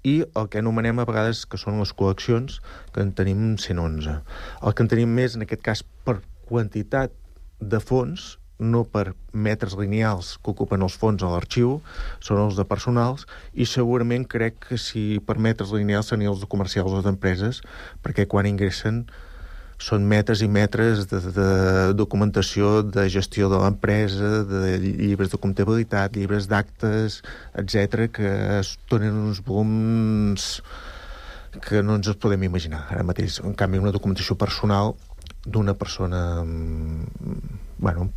O: i el que anomenem a vegades que són les col·leccions, que en tenim 111. El que en tenim més, en aquest cas, per quantitat de fons, no per metres lineals que ocupen els fons a l'arxiu, són els de personals, i segurament crec que si per metres lineals serien els de comercials o d'empreses, perquè quan ingressen són metres i metres de documentació de gestió de l'empresa, de llibres de comptabilitat, llibres d'actes, etc, que donen uns volums que no ens els podem imaginar ara mateix. En canvi, una documentació personal d'una persona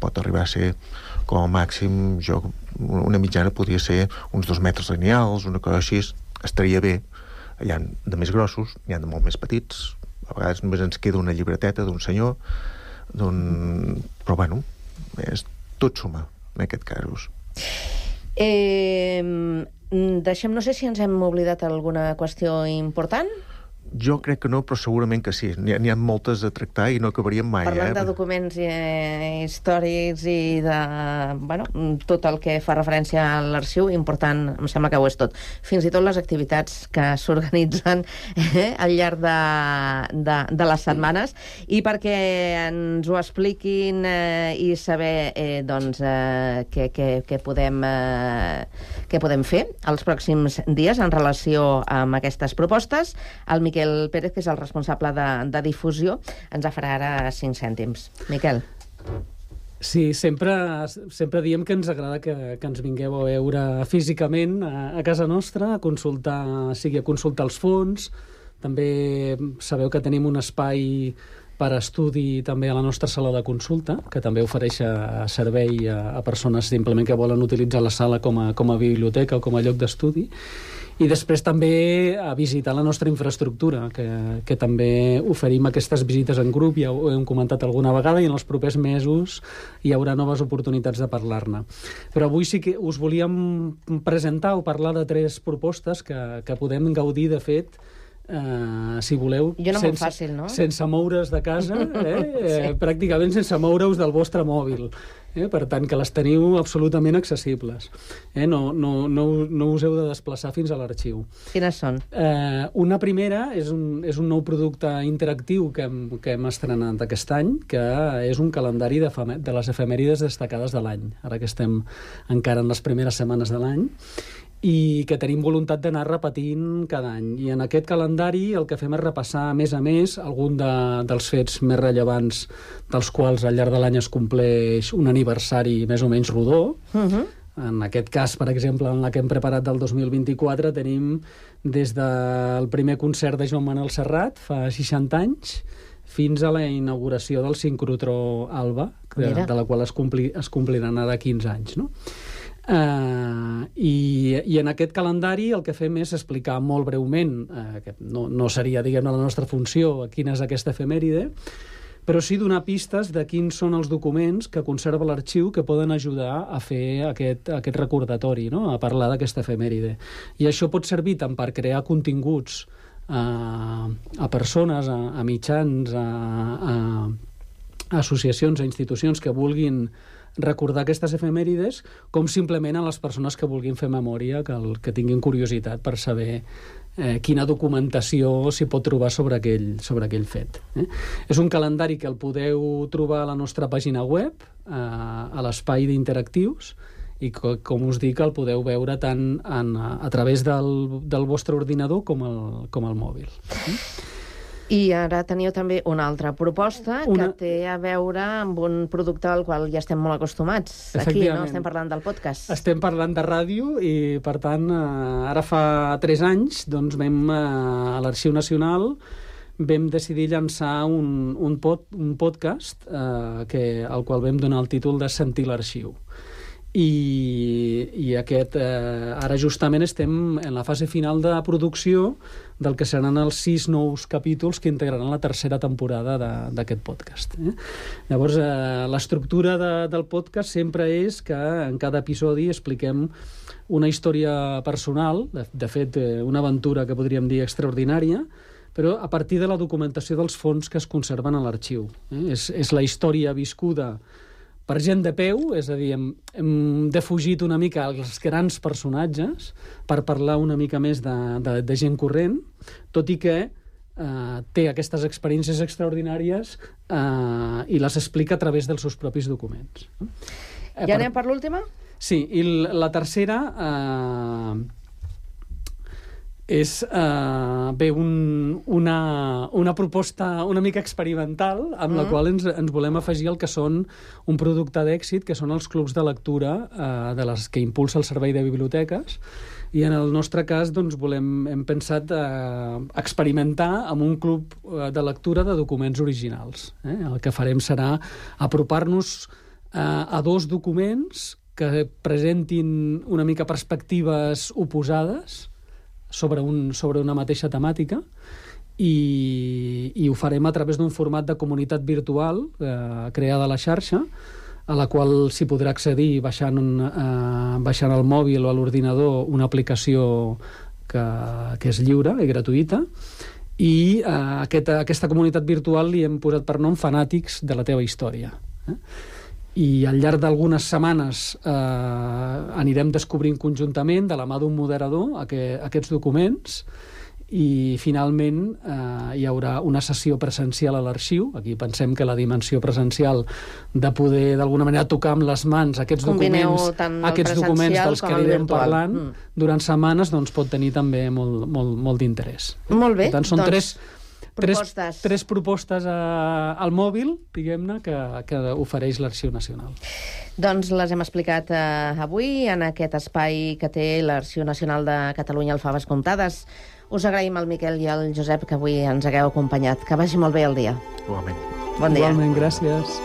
O: pot arribar a ser com a màxim, una mitjana podria ser uns 2 metres lineals, una cosa així, estaria bé. Hi ha de més grossos, hi ha de molt més petits, a vegades només ens queda una llibreteta d'un senyor, però tot suma en aquest cas.
G: Deixem, no sé si ens hem oblidat alguna qüestió important.
O: Jo crec que no, però segurament que sí. N'hi ha moltes a tractar i no acabaríem mai.
G: Parlant de documents històrics i de tot el que fa referència a l'arxiu, important, em sembla que ho és tot. Fins i tot les activitats que s'organitzen al llarg de les setmanes. I perquè ens ho expliquin i saber què podem fer els pròxims dies en relació amb aquestes propostes, el Miquel Pérez, que és el responsable de difusió, ens farà ara 5 cèntims. Miquel.
P: Sí, sempre diem que ens agrada que ens vingueu a veure físicament a casa nostra, a consultar els fons. També sabeu que tenim un espai per estudi també a la nostra sala de consulta, que també ofereix servei a persones simplement que volen utilitzar la sala com a biblioteca o com a lloc d'estudi. I després també a visitar la nostra infraestructura, que també oferim aquestes visites en grup, ja ho hem comentat alguna vegada, i en els propers mesos hi haurà noves oportunitats de parlar-ne. Però avui sí que us volíem presentar o parlar de 3 propostes que podem gaudir, de fet, si voleu, sense moure's de casa, pràcticament sense moure-us del vostre mòbil. Per tant, que les teniu absolutament accessibles. No us heu de desplaçar fins a l'arxiu.
G: Quines són?
P: Una primera és un nou producte interactiu que hem estrenat aquest any, que és un calendari de les efemèrides destacades de l'any, ara que estem encara en les primeres setmanes de l'any, i que tenim voluntat d'anar repetint cada any. I en aquest calendari el que fem és repassar, a més, algun dels fets més rellevants dels quals al llarg de l'any es compleix un aniversari més o menys rodó. En aquest cas, per exemple, en la que hem preparat del 2024, tenim des del primer concert de Joan Manel Serrat, fa 60 anys, fins a la inauguració del sincrotró Alba, de la qual es compliran ara 15 anys, no? I en aquest calendari el que fem és explicar molt breument, que no seria, diguem-ne, la nostra funció, quina és aquesta efemèride, però sí donar pistes de quins són els documents que conserva l'arxiu que poden ajudar a fer aquest recordatori, no? A parlar d'aquesta efemèride. I això pot servir tant per crear continguts a persones, a mitjans, a associacions, a institucions que vulguin recordar aquestes efemèrides, com simplement a les persones que vulguin fer memòria, que tinguin curiositat per saber quina documentació s'hi pot trobar sobre aquell fet. És un calendari que el podeu trobar a la nostra pàgina web, a l'espai d'interactius, i com us dic, el podeu veure tant a través del vostre ordinador com el mòbil.
G: I ara teniu també una altra proposta que té a veure amb un producte al qual ja estem molt acostumats. Aquí, no? Estem parlant del podcast.
P: Estem parlant de ràdio i, per tant, ara fa 3 anys, doncs a l'Arxiu Nacional vam decidir llançar un podcast al qual vam donar el títol de Sentir l'arxiu. I ara justament estem en la fase final de producció del que seran els 6 nous capítols que integraran la 3ª temporada d'aquest podcast. Llavors, l'estructura del podcast sempre és que en cada episodi expliquem una història personal, de fet, una aventura que podríem dir extraordinària, però a partir de la documentació dels fons que es conserven a l'arxiu. És la història viscuda per gent de peu, és a dir, hem defugit una mica els grans personatges per parlar una mica més de gent corrent, tot i que té aquestes experiències extraordinàries i les explica a través dels seus propis documents.
G: Ja anem per l'última?
P: Sí, i la tercera és una proposta una mica experimental amb la qual ens volem afegir el que són un producte d'èxit, que són els clubs de lectura de les que impulsa el Servei de Biblioteques, i en el nostre cas hem pensat experimentar amb un club de lectura de documents originals. El que farem serà apropar-nos a 2 documents que presentin una mica perspectives oposades sobre una mateixa temàtica, i ho farem a través d'un format de comunitat virtual creada a la xarxa, a la qual s'hi podrà accedir baixant al mòbil o a l'ordinador una aplicació que és lliure i gratuïta, I a aquesta comunitat virtual li hem posat per nom Fanàtics de la teva història. I al llarg d'algunes setmanes anirem descobrint conjuntament, de la mà d'un moderador, aquests documents, i finalment hi haurà una sessió presencial a l'arxiu. Aquí pensem que la dimensió presencial de poder d'alguna manera tocar amb les mans aquests documents dels que anirem parlant durant setmanes, doncs pot tenir també molt d'interès.
G: Molt bé.
P: Per tant, són tres propostes al mòbil, diguem-ne, que ofereix l'Arxiu Nacional.
G: Doncs les hem explicat avui en aquest espai que té l'Arxiu Nacional de Catalunya, el Faves Comptades. Us agraïm al Miquel i al Josep que avui ens hagueu acompanyat. Que vagi molt bé el dia.
O: Igualment.
G: Bon dia.
P: Igualment, gràcies.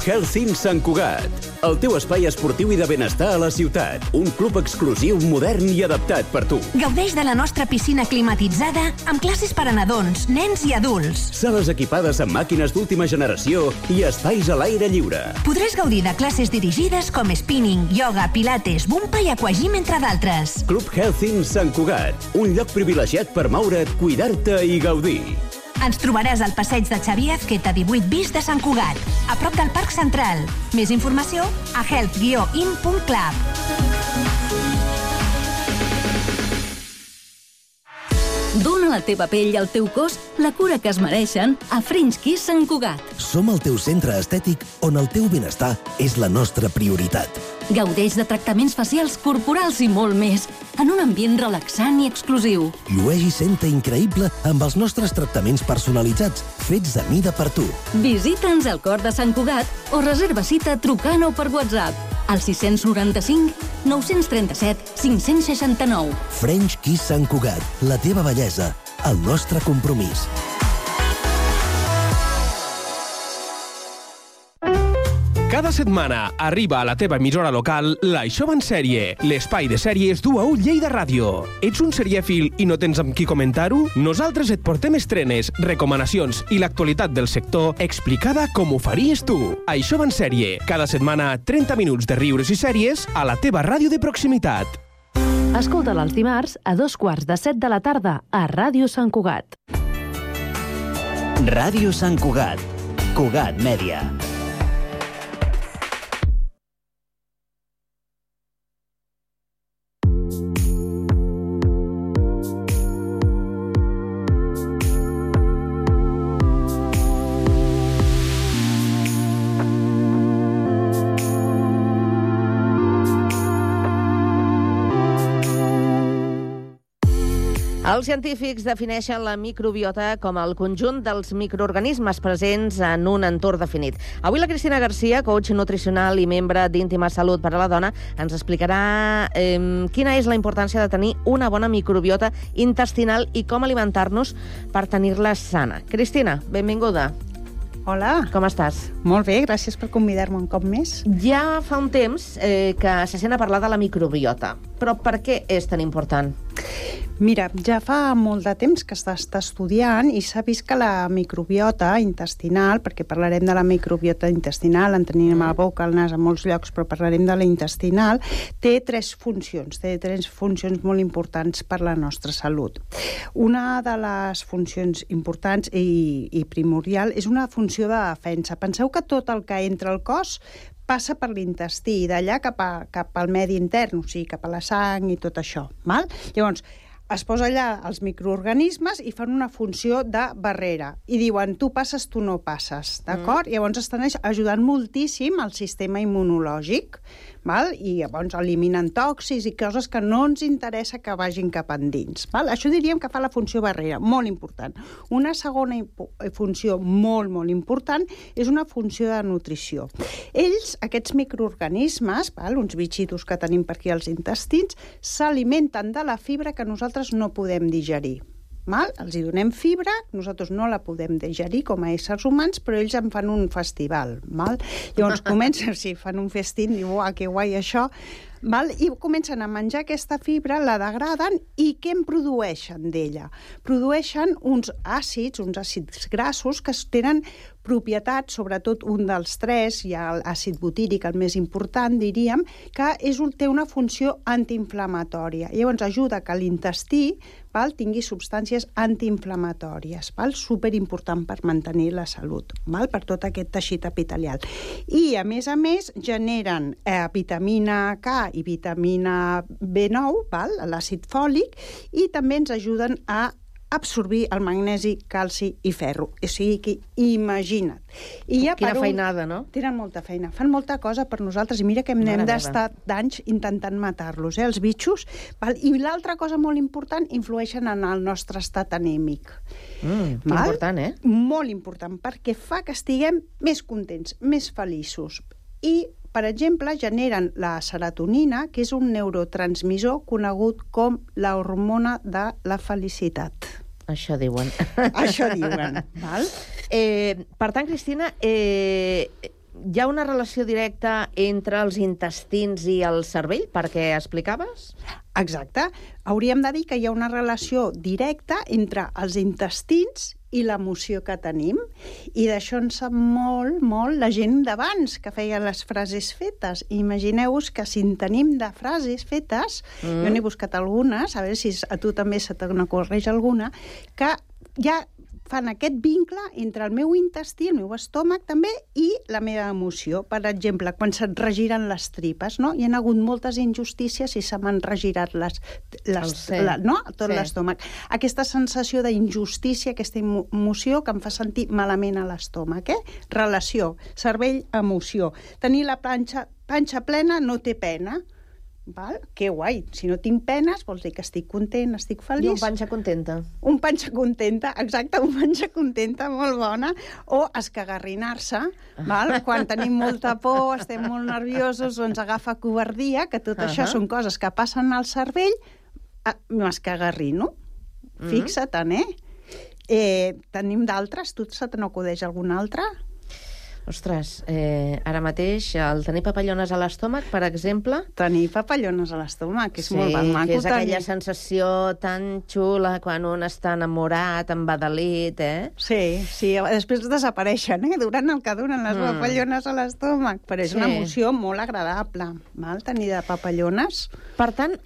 Q: Healthing Sant Cugat, el teu espai esportiu i de benestar a la ciutat. Un club exclusiu, modern i adaptat per tu.
N: Gaudeix de la nostra piscina climatitzada amb classes per a nadons, nens i adults.
Q: Sales equipades amb màquines d'última generació i espais a l'aire lliure.
N: Podràs gaudir de classes dirigides com spinning, yoga, pilates, bumpa i aquagym, entre d'altres.
Q: Club Healthing Sant Cugat, un lloc privilegiat per moure't, cuidar-te i gaudir.
N: Ens trobaràs al passeig de Xavier Azqueta 18 bis de Sant Cugat, a prop del Parc Central. Més informació a health-in.club.
R: Dóna a la teva pell i al teu cos la cura que es mereixen a French Kiss Sant Cugat.
S: Som el teu centre estètic on el teu benestar és la nostra prioritat.
R: Gaudeix de tractaments facials, corporals i molt més, en un ambient relaxant i exclusiu.
S: Llueix i senta increïble amb els nostres tractaments personalitzats, fets a mida per tu.
R: Visita'ns al cor de Sant Cugat o reserva cita trucant o per WhatsApp al 695 937 569.
S: French Kiss Sant Cugat, la teva bellesa, el nostre compromís.
T: Cada setmana arriba a la teva emissora local l'Això va en sèrie, l'espai de sèries du a Lleida Ràdio. Ets un serièfil i no tens amb qui comentar-ho? Nosaltres et portem estrenes, recomanacions i l'actualitat del sector explicada com ho faries tu. Això va en sèrie, cada setmana 30 minuts de riures i sèries a la teva ràdio de proximitat.
F: Escolta'l els dimarts a 7:15 de la tarda a Ràdio Sant Cugat.
D: Ràdio Sant Cugat. Cugat Mèdia.
G: Els científics defineixen la microbiota com el conjunt dels microorganismes presents en un entorn definit. Avui la Cristina Garcia, coach nutricional i membre d'Íntima Salut per a la Dona, ens explicarà quina és la importància de tenir una bona microbiota intestinal i com alimentar-nos per tenir-la sana. Cristina, benvinguda.
U: Hola.
G: Com estàs?
U: Molt bé, gràcies per convidar-me un cop més.
G: Ja fa un temps que se sent a parlar de la microbiota, però per què és tan important?
U: Mira, ja fa molt de temps que s'està estudiant i s'ha vist que la microbiota intestinal, perquè parlarem de la microbiota intestinal, en tenim a la boca, al nas, a molts llocs, però parlarem de la intestinal, té tres funcions molt importants per la nostra salut. Una de les funcions importants i primordial és una funció de defensa. Penseu que tot el que entra al cos passa per l'intestí i d'allà cap al medi intern, o sigui, cap a la sang i tot això. Val? Llavors, es posa allà els microorganismes i fan una funció de barrera. I diuen, tu passes, tu no passes. D'acord? Llavors estan ajudant moltíssim al sistema immunològic, val? I llavors eliminen tòxics i coses que no ens interessa que vagin cap endins. Val? Això diríem que fa la funció barrera, molt important. Una segona funció molt, molt important és una funció de nutrició. Ells, aquests microorganismes, val? Uns bitxitos que tenim per aquí als intestins, s'alimenten de la fibra que nosaltres no podem digerir. Val? Els hi donem fibra, nosaltres no la podem digerir com a éssers humans, però ells en fan un festival. Val? Llavors comencen, si fan un festín, diu, uah, que guai això, val? I comencen a menjar aquesta fibra, la degraden, i què en produeixen d'ella? Produeixen uns àcids grassos que tenen propietats, sobretot un dels tres, hi ha l'àcid butíric, el més important, diríem, que té una funció antiinflamatòria. Llavors ajuda que l'intestí tingui substàncies antiinflamatòries, superimportant per mantenir la salut, per tot aquest teixit epitelial. I, a més, generen vitamina K i vitamina B9, l'àcid fòlic, i també ens ajuden a absorbir el magnesi, calci i ferro. O sigui que imagina't.
G: Quina feinada, no?
U: Tenen molta feina. Fan molta cosa per nosaltres i mira que hem d'estar d'anys intentant matar-los, els bitxos. I l'altra cosa molt important, influeixen en el nostre estat anèmic.
G: Important, eh?
U: Molt important, perquè fa que estiguem més contents, més feliços. I per exemple, generen la serotonina, que és un neurotransmissor conegut com la hormona de la felicitat.
G: Això diuen.
U: Això diuen, val?
G: Per tant, Cristina, hi ha una relació directa entre els intestins i el cervell, perquè explicaves?
U: Exacte. Hauríem de dir que hi ha una relació directa entre els intestins i l'emoció que tenim. I d'això en sap molt, molt la gent d'abans, que feia les frases fetes. Imagineu-vos que si en tenim de frases fetes, jo n'he buscat algunes, a veure si a tu també se t'ocorreix alguna, que ja fan aquest vincle entre el meu intestí, el meu estómac també, i la meva emoció. Per exemple, quan se't regiren les tripes, no? Hi ha hagut moltes injustícies i se m'han regirat tot l'estómac. Aquesta sensació d'injustícia, aquesta emoció que em fa sentir malament a l'estómac. Relació, cervell-emoció. Tenir la panxa plena no té pena. Val? Que guai. Si no tinc penes, vols dir que estic content, estic feliç.
G: I un panxa contenta.
U: Un panxa contenta, exacte, un panxa contenta, molt bona. O escagarrinar-se, val? Quan tenim molta por, estem molt nerviosos, o ens agafa covardia, que tot això són coses que passen al cervell, m'escagarrino. Fixa-te'n, tenim d'altres? Tu se te n'acudeix alguna altra?
G: Ostres, ara mateix el tenir papallones a l'estómac, per exemple...
U: Tenir papallones a l'estómac, és molt maco.
G: Que és aquella sensació tan xula quan un està enamorat, embadalit,
U: Sí, després desapareixen, durant el que duren les papallones a l'estómac, però és una emoció molt agradable, tenir de papallones.
G: Per tant,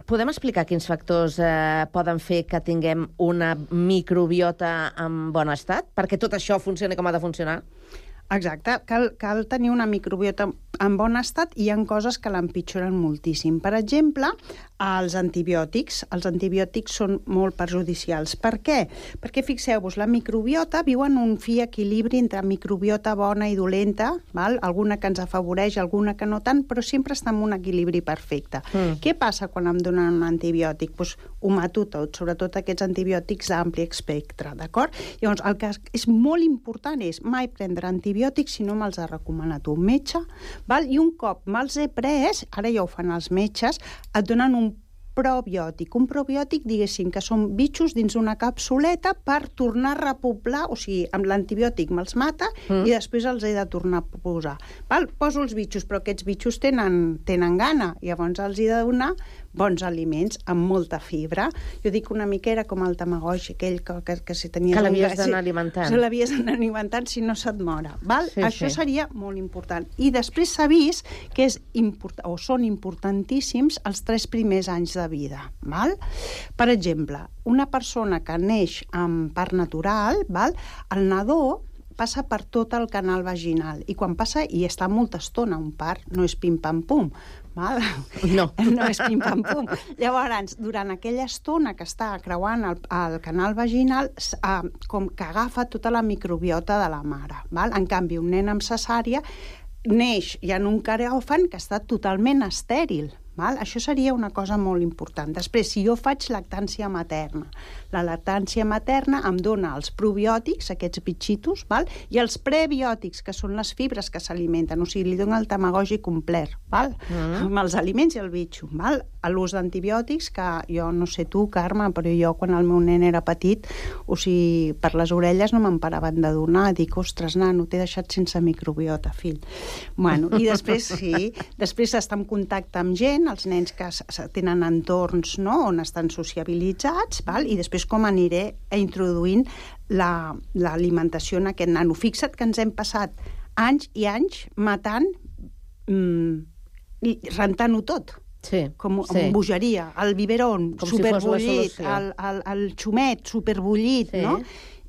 G: podem explicar quins factors poden fer que tinguem una microbiota en bon estat? Perquè tot això funcioni com ha de funcionar?
U: Exacte, cal tenir una microbiota en bon estat i hi ha coses que l'empitjoren moltíssim. Per exemple, els antibiòtics. Els antibiòtics són molt perjudicials. Per què? Perquè, fixeu-vos, la microbiota viu en un fi equilibri entre microbiota bona i dolenta, alguna que ens afavoreix, alguna que no tant, però sempre està en un equilibri perfecte. Què passa quan em donen un antibiòtic? Doncs ho mato tot, sobretot aquests antibiòtics d'ampli espectre, d'acord? Llavors, el que és molt important és mai prendre antibiòtics si no me'ls ha recomanat un metge, i un cop me'ls he pres, ara ja ho fan els metges, et donen un probiòtic. Un probiòtic, diguéssim, que són bitxos dins una capsuleta per tornar a repoblar, o sigui, amb l'antibiòtic me'ls mata i després els he de tornar a posar. Poso els bitxos, però aquests bitxos tenen gana, llavors els he de donar bons aliments amb molta fibra. Jo dic una mica era com el tamagotchi, aquell que si tenies...
G: Que l'havies d'anar alimentant.
U: Se l'havies d'anar alimentant si no se't mora. Això seria molt important. I després s'ha vist que són importantíssims els 3 primers anys de vida. Per exemple, una persona que neix amb part natural, el nadó passa per tot el canal vaginal i quan passa i està molta estona un part, no és pim-pam-pum, no és pim-pam-pum. Llavors, durant aquella estona que està creuant el canal vaginal, com que agafa tota la microbiota de la mare. En canvi, un nen amb cesària neix ja en un quiròfan que està totalment estèril. Això seria una cosa molt important. Després, si jo faig lactància materna, la lactància materna em dona els probiòtics, aquests bitxitos, i els prebiòtics, que són les fibres que s'alimenten, o sigui, li dona el tamagotchi complet, amb els aliments i el bitxo. l'ús d'antibiòtics, que jo no sé tu, Carme, però jo quan el meu nen era petit, o sigui, per les orelles no me'n paraven de donar. Dic, ostres, nano, t'he deixat sense microbiota, fill. Bueno, i després, sí, després estar en contacte amb gent, els nens que tenen entorns, no?, on estan sociabilitzats, val? I després com aniré introduint l'alimentació en aquest nano. Fixa't que ens hem passat anys i anys matant i rentant-ho tot.
G: Sí,
U: com bogeria, el biberon superbullit, el xumet superbullit, no?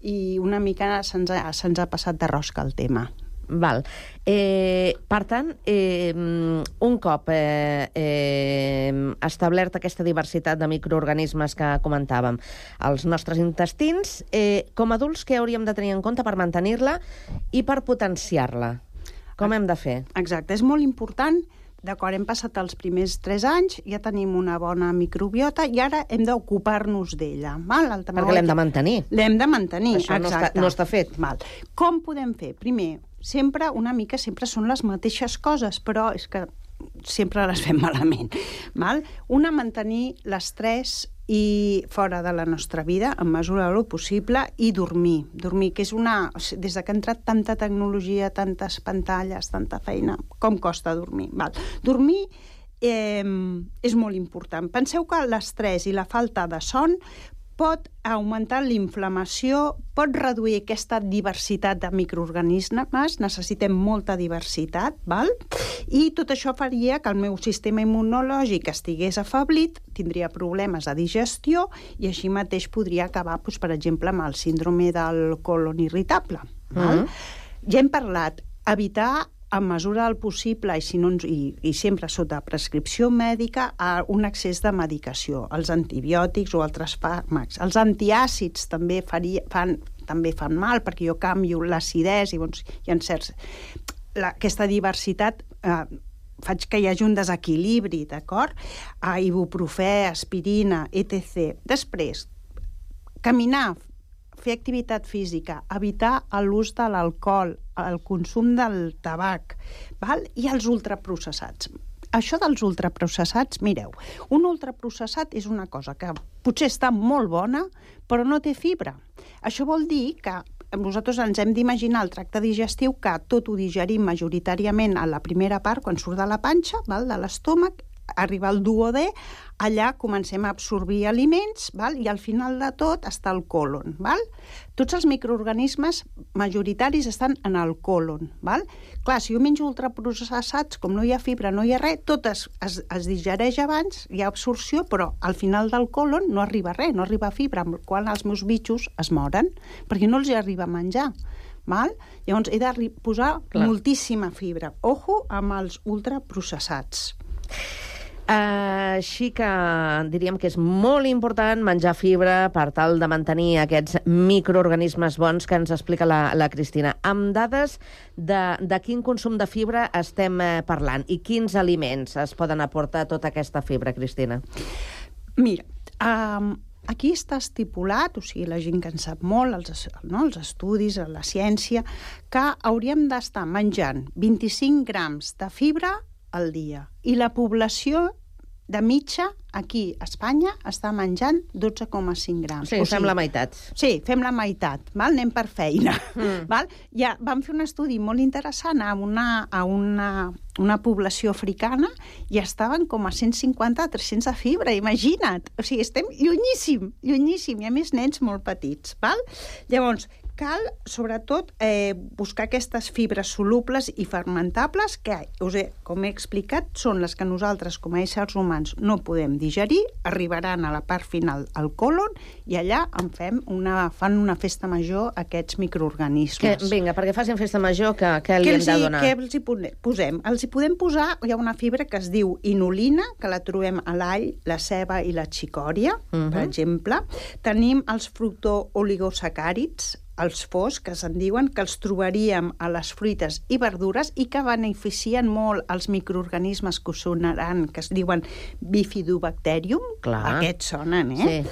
U: I una mica se'ns ha passat de rosca el tema.
G: Val. Per tant, un cop establert aquesta diversitat de microorganismes que comentàvem, els nostres intestins, com a adults, què hauríem de tenir en compte per mantenir-la i per potenciar-la? Com hem de fer?
U: Exacte, és molt important. D'acord, hem passat els primers 3 anys, ja tenim una bona microbiota i ara hem d'ocupar-nos d'ella.
G: Perquè l'hem de mantenir.
U: L'hem de mantenir,
G: això
U: exacte.
G: No està fet.
U: Com podem fer? Primer, sempre són les mateixes coses, però és que sempre les fem malament. Una, mantenir l'estrès i fora de la nostra vida, en mesura del possible, i dormir. Dormir, que és des que ha entrat tanta tecnologia, tantes pantalles, tanta feina, com costa dormir? Dormir és molt important. Penseu que l'estrès i la falta de son pot augmentar l'inflamació, pot reduir aquesta diversitat de microorganismes, necessitem molta diversitat, i tot això faria que el meu sistema immunològic estigués afeblit, tindria problemes de digestió i així mateix podria acabar, per exemple, amb el síndrome del colon irritable. Ja hem parlat, evitar en mesura del possible i sempre sota prescripció mèdica un excés de medicació, els antibiòtics o altres fàrmacs. Els antiàcids també fan mal perquè jo canvio l'acidesa i hi ha certs... Aquesta diversitat faig que hi hagi un desequilibri, d'acord? Ibuprofè, aspirina, etc. Després, caminar, fer activitat física, evitar l'ús de l'alcohol, el consum del tabac, i els ultraprocessats. Això dels ultraprocessats, mireu, un ultraprocessat és una cosa que potser està molt bona, però no té fibra. Això vol dir que nosaltres ens hem d'imaginar el tracte digestiu que tot ho digerim majoritàriament a la primera part, quan surt de la panxa, de l'estómac, arriba al duodè, allà comencem a absorbir aliments, i al final de tot està el colon. Tots els microorganismes majoritaris estan en el colon. Clar, si jo menjo ultraprocessats, com no hi ha fibra, no hi ha res, tot es digereix abans, hi ha absorció, però al final del colon no arriba res, no arriba fibra, amb el qual els meus bitxos es moren, perquè no els hi arriba a menjar. Llavors he de posar moltíssima fibra. Ojo amb els ultraprocessats.
G: Així que diríem que és molt important menjar fibra per tal de mantenir aquests microorganismes bons que ens explica la Cristina. Amb dades de quin consum de fibra estem parlant i quins aliments es poden aportar tota aquesta fibra, Cristina?
U: Mira, aquí està estipulat, o sigui, la gent que en sap molt, els estudis, la ciència, que hauríem d'estar menjant 25 grams de fibra al dia. I la població de mitja, aquí a Espanya, està menjant 12,5 grams.
G: Sí, fem la meitat.
U: Sí, fem la meitat, anem per feina. Ja vam fer un estudi molt interessant a una població africana i estaven com a 150-300 de fibra, imagina't. O sigui, estem llunyíssim, i a més nens molt petits. Llavors, cal, sobretot, buscar aquestes fibres solubles i fermentables que, com he explicat, són les que nosaltres, com a éssers humans, no podem digerir, arribaran a la part final al colon i allà fan una festa major aquests microorganismes.
G: Vinga, perquè facin festa major, què li hem de donar?
U: Què els hi posem? Els hi podem posar, hi ha una fibra que es diu inulina, que la trobem a l'all, la ceba i la xicòria, per exemple. Tenim els fructooligosacàrids, els FOS, que se'n diuen, que els trobaríem a les fruites i verdures i que beneficien molt els microorganismes que us sonaran, que es diuen Bifidobacterium. Aquests sonen,
G: Sí.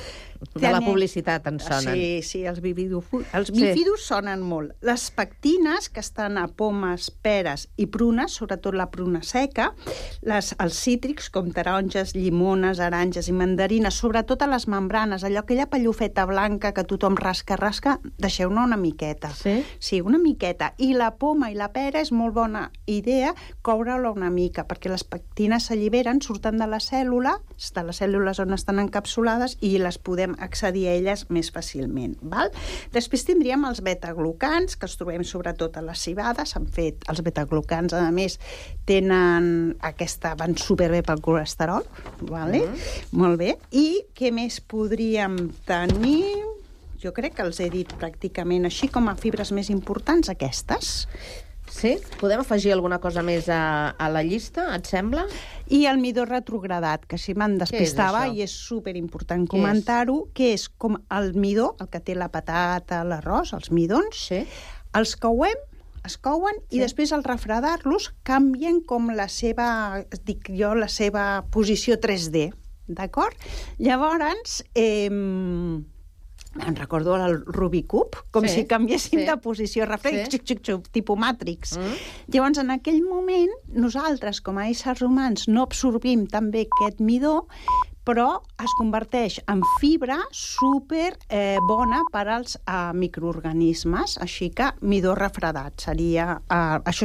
G: De la publicitat en sonen.
U: Sí, els bifidus sonen molt. Les pectines, que estan a pomes, peres i prunes, sobretot la pruna seca, els cítrics, com taronges, llimones, aranges i mandarines, sobretot a les membranes, allò, aquella pallofeta blanca que tothom rasca, deixeu-ne una miqueta. Sí, una miqueta. I la poma i la pera és molt bona idea coure-la una mica, perquè les pectines s'alliberen, surten de les cèl·lules on estan encapsulades i les podem accedir a elles més fàcilment. Val? Després tindríem els betaglucans, que els trobem sobretot a les cibades. Els betaglucans, a més, van superbé pel colesterol. Vale? Molt bé. I què més podríem tenir? Jo crec que els he dit pràcticament així com a fibres més importants, aquestes.
G: Sí? Podem afegir alguna cosa més a la llista, et sembla?
U: I el midó retrogradat, que així me'n despistava i és superimportant comentar-ho, que és com el midó, el que té la patata, l'arròs, els midons, els couen i després al refredar-los canvien com la seva posició 3D, d'acord? Llavors, em recordo el Rubik's Cube, com si canviéssim de posició, tipus Matrix. Llavors, en aquell moment, nosaltres, com a éssers humans, no absorbim tan bé aquest midó, però es converteix en fibra super bona per als microorganismes, així que midó refredat seria... Això